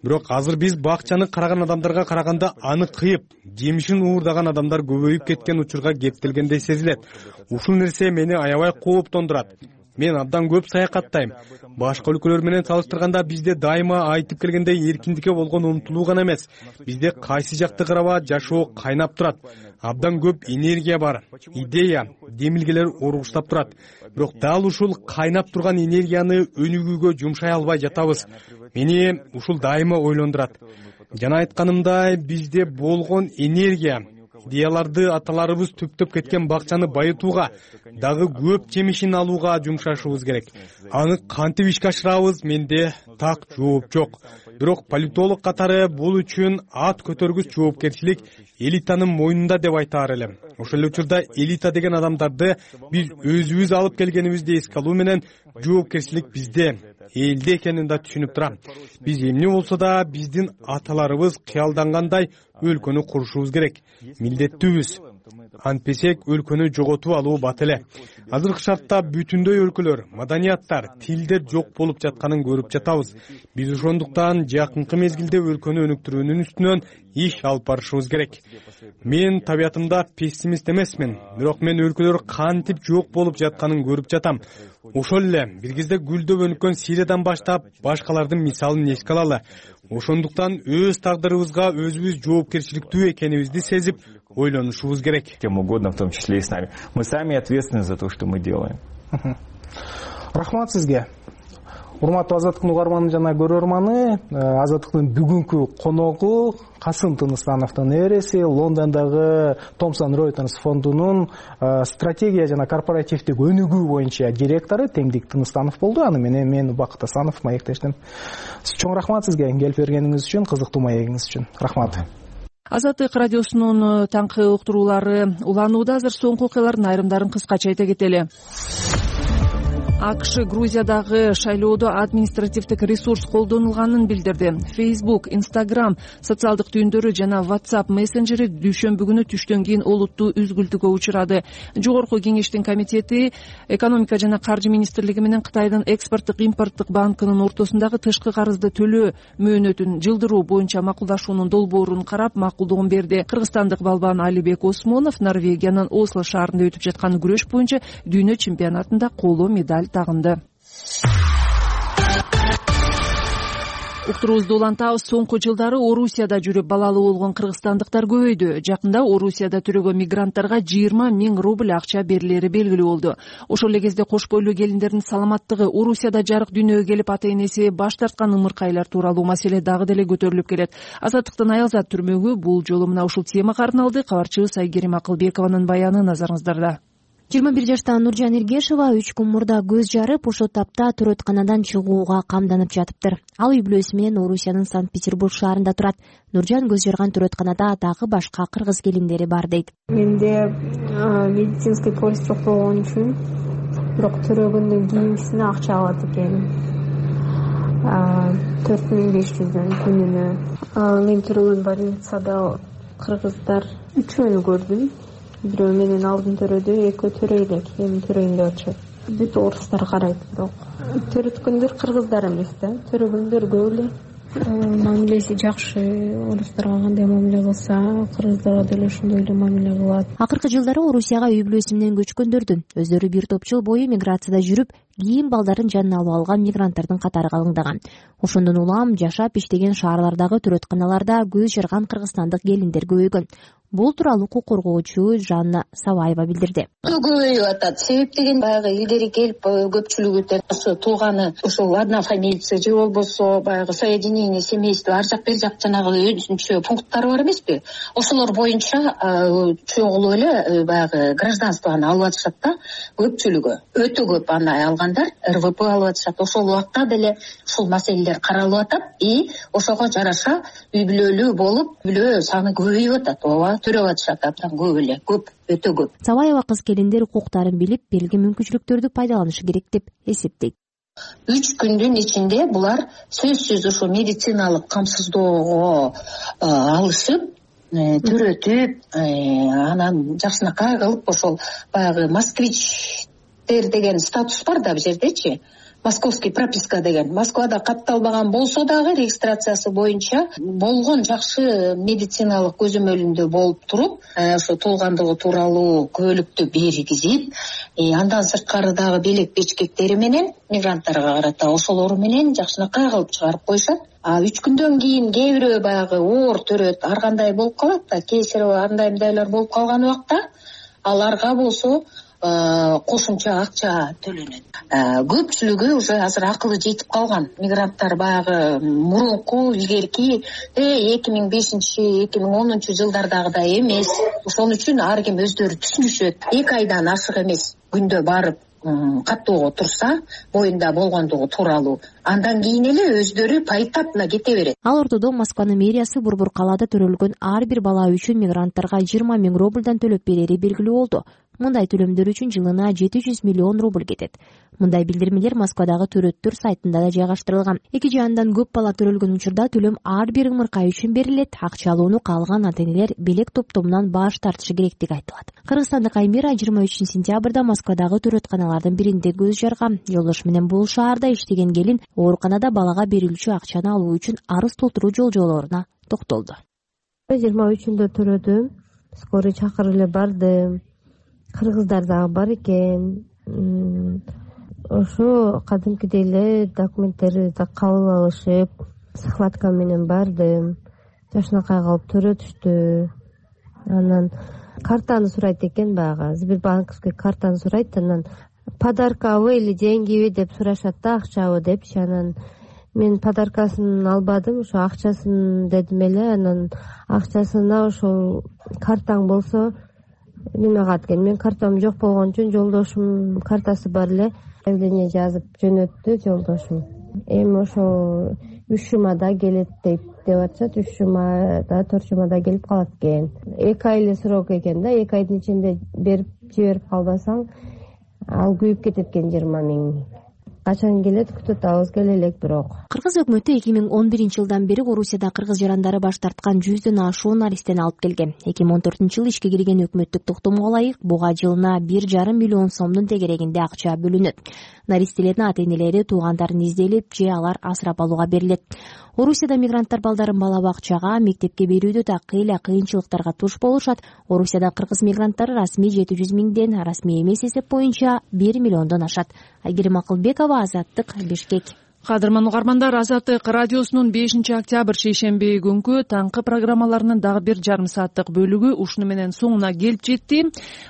Бирок азыр биз бакчаны караган адамдарга караганда аны кыйып, жемишин уурдаган адамдар көбөйүп кеткен учурга кептелгендей сезилет. Ушул нерсе мени аябай кооптондурат. Мен абдан көп саякаттайм. Башка өлкөлөр менен салыштырганда бизде дайыма айтып келгендей эркиндикке болгон умтулуу гана эмес, бизде кайсы жакты караба жашоо кайнап турат. абдан көп энергия бар, идея, демилгелер ургуштап турат. Бирок дал ушул кайнап турган энергияны өнүгүүгө жумшай албай жатабыз. Мени ушул дайыма ойлондурат. Жана айтканымдай, бизде болгон энергия, идеяларды аталарыбыз түптөп кеткен бакчаны байытууга, дагы көп жемишин алууга жумшашыбыз керек. Аны кантип ишке ашырабыз, менде так жооп жок. Бирок политолог катары бул үчүн ат көтөргүч жоопкерчилик элитанын мойнунда деп айтаар элем. Ошол эле учурда элита деген адамдарды биз өзүбүз алып келгенибизди эске алуу менен жоопкерчилик бизде, элде экенин да түшүнүп турам. Биз эмне болсо да биздин аталарыбыз кыялдангандай өлкөнү курушубуз керек. Милдеттүүбүз. Антпесек өлкөнү жоготуп алуу бат эле. Азыркы шартта бүтүндөй өлкөлөр, маданияттар, тилдер жок болуп жатканын көрүп жатабыз. Биз ошондуктан жакынкы мезгилде өлкөнү өнүктүрүүнүн үстүнөн иш алып барышыбыз керек. Мен табиятымда пессимист эмесмин, бирок мен өлкөлөр кантип жок болуп жатканын көрүп жатам. Ошол эле бир кезде гүлдөп өнүккөн Сириядан баштап башкалардын мисалын эске алалы. Ошондуктан өз тагдырыбызга өзүбүз жоопкерчиликтүү экенибизди сезип ойлонушубуз керек. Кем угодно, в том числе и с нами. Мы сами ответственны за то, что мы делаем. Рахмат сизге. Урматтуу Азаттыктын угарманы жана көрөрманы, Азаттыктын бүгүнкү коногу Касым Тыныстановдун небереси, Лондондогу Thomson Reuters фондунун стратегия жана корпоративдик өнүгүү боюнча директору Теңдик Тыныстанов болду. Аны менен мен Убакыт Асанов маектештим. Чоң рахмат сизге келип бергениңиз үчүн, кызыктуу маегиңиз үчүн. Рахмат. Азаттык радиосунун таңкы уктуруулары уланууда. Азыр соңку окуялардын айрымдарын кыскача айта кетели. АКШ Грузиядагы шайлоодо административдик ресурс колдонулганын билдирди. Facebook, Instagram социалдык түйүндөрү жана WhatsApp мессенджери дүйшөмбү күнү түштөн кийин олуттуу үзгүлтүккө учурады. Жогорку кеңештин комитети экономика жана каржы министрлиги менен Кытайдын экспорттук импорттук банкынын ортосундагы тышкы карызды төлөө мөөнөтүн жылдыруу боюнча макулдашуунун долбоорун карап макулдугун берди. Кыргызстандык балбан Алибек Осмонов Норвегиянын Осло шаарында өтүп жаткан күрөш боюнча дүйнө чемпионатында коло медаль тагынды. Уктуруубузду улантабыз. Соңку жылдары Орусияда жүрүп балалуу болгон кыргызстандыктар көбөйдү. Жакында Орусияда төрөгөн мигранттарга 20 000 рубль акча берилери белгилүү болду. Ошол эле кезде кош бойлуу келиндердин саламаттыгы, Орусияда жарык дүйнөгө келип ата энеси баш тарткан ымыркайлар тууралуу маселе дагы деле көтөрүлүп келет. Азаттыктын Аялзат түрмөгү бул жолу мына ушул темага арналды. Кабарчыбыз Айгерим Акылбекованын баяны назарыңыздарда. 21 жаштагы Нуржан Эргешова 3 күн мурда көз жарып, ошол тапта төрөтканадан чыгууга камданып жатыптыр. Ал үй бүлөсү менен Орусиянын Санкт-Петербург шаарында турат. Нуржан көз жарган төрөтканада дагы башка кыргыз келиндери бар дейт. Менде медицинский полис жок болгон үчүн бирок төрөгөндөн кийинкисине акча алат экеним. 4500 күнүнө. Мен төрөгөн больницада кыргыздар 3-ünü көрдүм. Бирөө менен алдын төрөдү, экөө төрөй элек, эми төрөйүн деп атышат. Бүт орустар карайт, бирок төрөткөндөр кыргыздар эмес да, төрөгөндөр көп эле. Мамилеси жакшы, орустарга кандай мамиле кылса, кыргыздарга деле ошондой эле мамиле кылат. Акыркы жылдары Орусияга үй бүлөсү менен көчкөндөрдүн өздөрү бир топ жыл бою миграцияда жүрүп, кийин балдарын жанына алып алган мигранттардын катары калыңдаган. Ошондон улам жашап иштеген шаарлардагы төрөтканаларда көз жарган кыргызстандык келиндер көбөйгөн. Бул тууралуу укук коргоочу Жанна Сабаева билдирди. Көбөйүп атат. Себеп деген баягы илгери келип көпчүлүгү ошо тууганы ошол одна фамилия же болбосо баягы соединение семейства ар жак бир жак жанагы өзүнчө пункттары бар эмеспи? Ошолор боюнча чогулуп эле баягы гражданствону алып атышат да, көпчүлүгү. Өтө көп аны алгандар РВП алып атышат. Ошол убакта деле ушул маселелер каралып атат и ошого жараша үй бүлөлүү болуп, бүлө саны көбөйүп атат. Ооба, төрөп атышат абдан көп эле, көп, өтө көп. Сабаева кыз келиндер укуктарын билип, берилген мүмкүнчүлүктөрдү пайдаланышы керек деп эсептейт. 3 күндүн ичинде булар сөзсүз ушул медициналык камсыздоого алышып, төрөтүп, анан жакшынакай кылып ошол баягы москвичтер деген статус бар да бул жердечи. Московский прописка деген Москвада катталбаган болсо дагы регистрациясы боюнча болгон жакшы медициналык көзөмөлүндө болуп туруп, ошо туулгандыгы тууралуу күбөлүктү бергизип, андан сырткары дагы белек бечкектери менен мигранттарга карата ошолору менен жакшынакай кылып чыгарып коюшат. А 3 күндөн кийин кээ бирөө баягы оор төрөт, ар кандай болуп калат да, кесарево андай мындайлар болуп калган убакта аларга болсо кошумча акча төлөнөт. Көпчүлүгү уже азыр акылы жетип калган. Мигранттар баягы мурунку илгерки 2005-2010 жылдардагыдай эмес. Ошон үчүн ар ким өздөрү түшүнүшөт. 2 айдан ашык эмес күндө барып каттоого турса, боюнда болгондугу тууралуу, андан кийин эле өздөрү пайыттап эле кете берет. Ал ортодо Москванын мэриясы борбор калаада төрөлгөн ар бир бала үчүн мигранттарга 20 000 рубльдан төлөп берери белгилүү болду. Мындай төлөмдөр үчүн жылына 700 миллион рубль кетет. Мындай билдирмелер Москвадагы төрөттөр сайтында да жайгаштырылган. Эки жаандан көп бала төрөлгөн учурда төлөм ар бир ымыркай үчүн берилет. Акча алууну каалган ата-энелер белек топтомунан баш тартышы керектиги айтылат. Кыргызстандык Аймира 23 сентябрда Москвадагы төрөтканалардын биринде көз жарган. Жолдошу менен бул шаарда иштеген келин ооруканада балага берилүүчү акчаны алуу үчүн арыз толтуруу жолжолоруна токтолду. 23-үндө төрөдүм, скорый чакырып эле бардым. Кыргыздар дагы бар экен. Ошо кадимкидей эле документтерди да кабыл алышып, схватка менен бардым. Жашынакай калып төрөтүштү. Анан картаны сурайт экен, баягы Сбербанковский картаны сурайт. Анан подаркабы или деньгиби деп сурашат да, акчабы депчи. Анан мен подаркасын албадым, ошо акчасын дедим эле. Анан акчасына ошол картаң болсо неме кылат экен. Мен картам жок болгон үчүн жолдошум картасы бар эле заявление жазып жөнөттү жолдошум. Эми ошо 3 жумада келет деп атышат. 3 жумада 4 жумада келип калат экен. 2 ай эле срок экен да. 2 айдын ичинде берип жиберип калбасаң ал күйүп кетет экен 20 000. Качан келет күтүп атабыз, келе элек бирок. Кыргыз өкмөтү 2011-жылдан бери Орусияда кыргыз жарандары баш тарткан 100дөн ашуун наристени алып келген. 2014-жылы ишке кирген өкмөттүк токтомго ылайык буга жылына 1,5 миллион сомдун тегерегинде акча бөлүнөт. Наристелердин ата-энелери туугандарын изделип же алар асырап алууга берилет. Орусияда мигранттар балдарын бала бакчага, мектепке берүүдө такы эле кыйынчылыктарга туш болушат. Орусияда кыргыз мигранттары расмий 700 000ден, расмий эмес эсеп боюнча 1 миллиондон ашат. Айгерим Акылбекова, Азаттык, Бишкек. Кадырман угармандар, Азаттык радиосунун 5-октябрь шейшемби күнкү таңкы программаларынын дагы 1,5 сааттык бөлүгү ушуну менен соңуна келип жетти.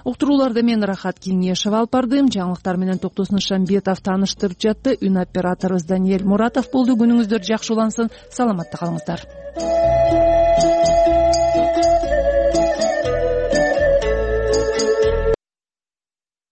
Уктурууларды мен Рахат Кеңешева алып бардым. Жаңылыктар менен Токтосун Шамбетов тааныштырып жатты. Үн операторубуз Даниэль Муратов болду. Күнүңүздөр жакшы улансын. Саламатта калыңыздар.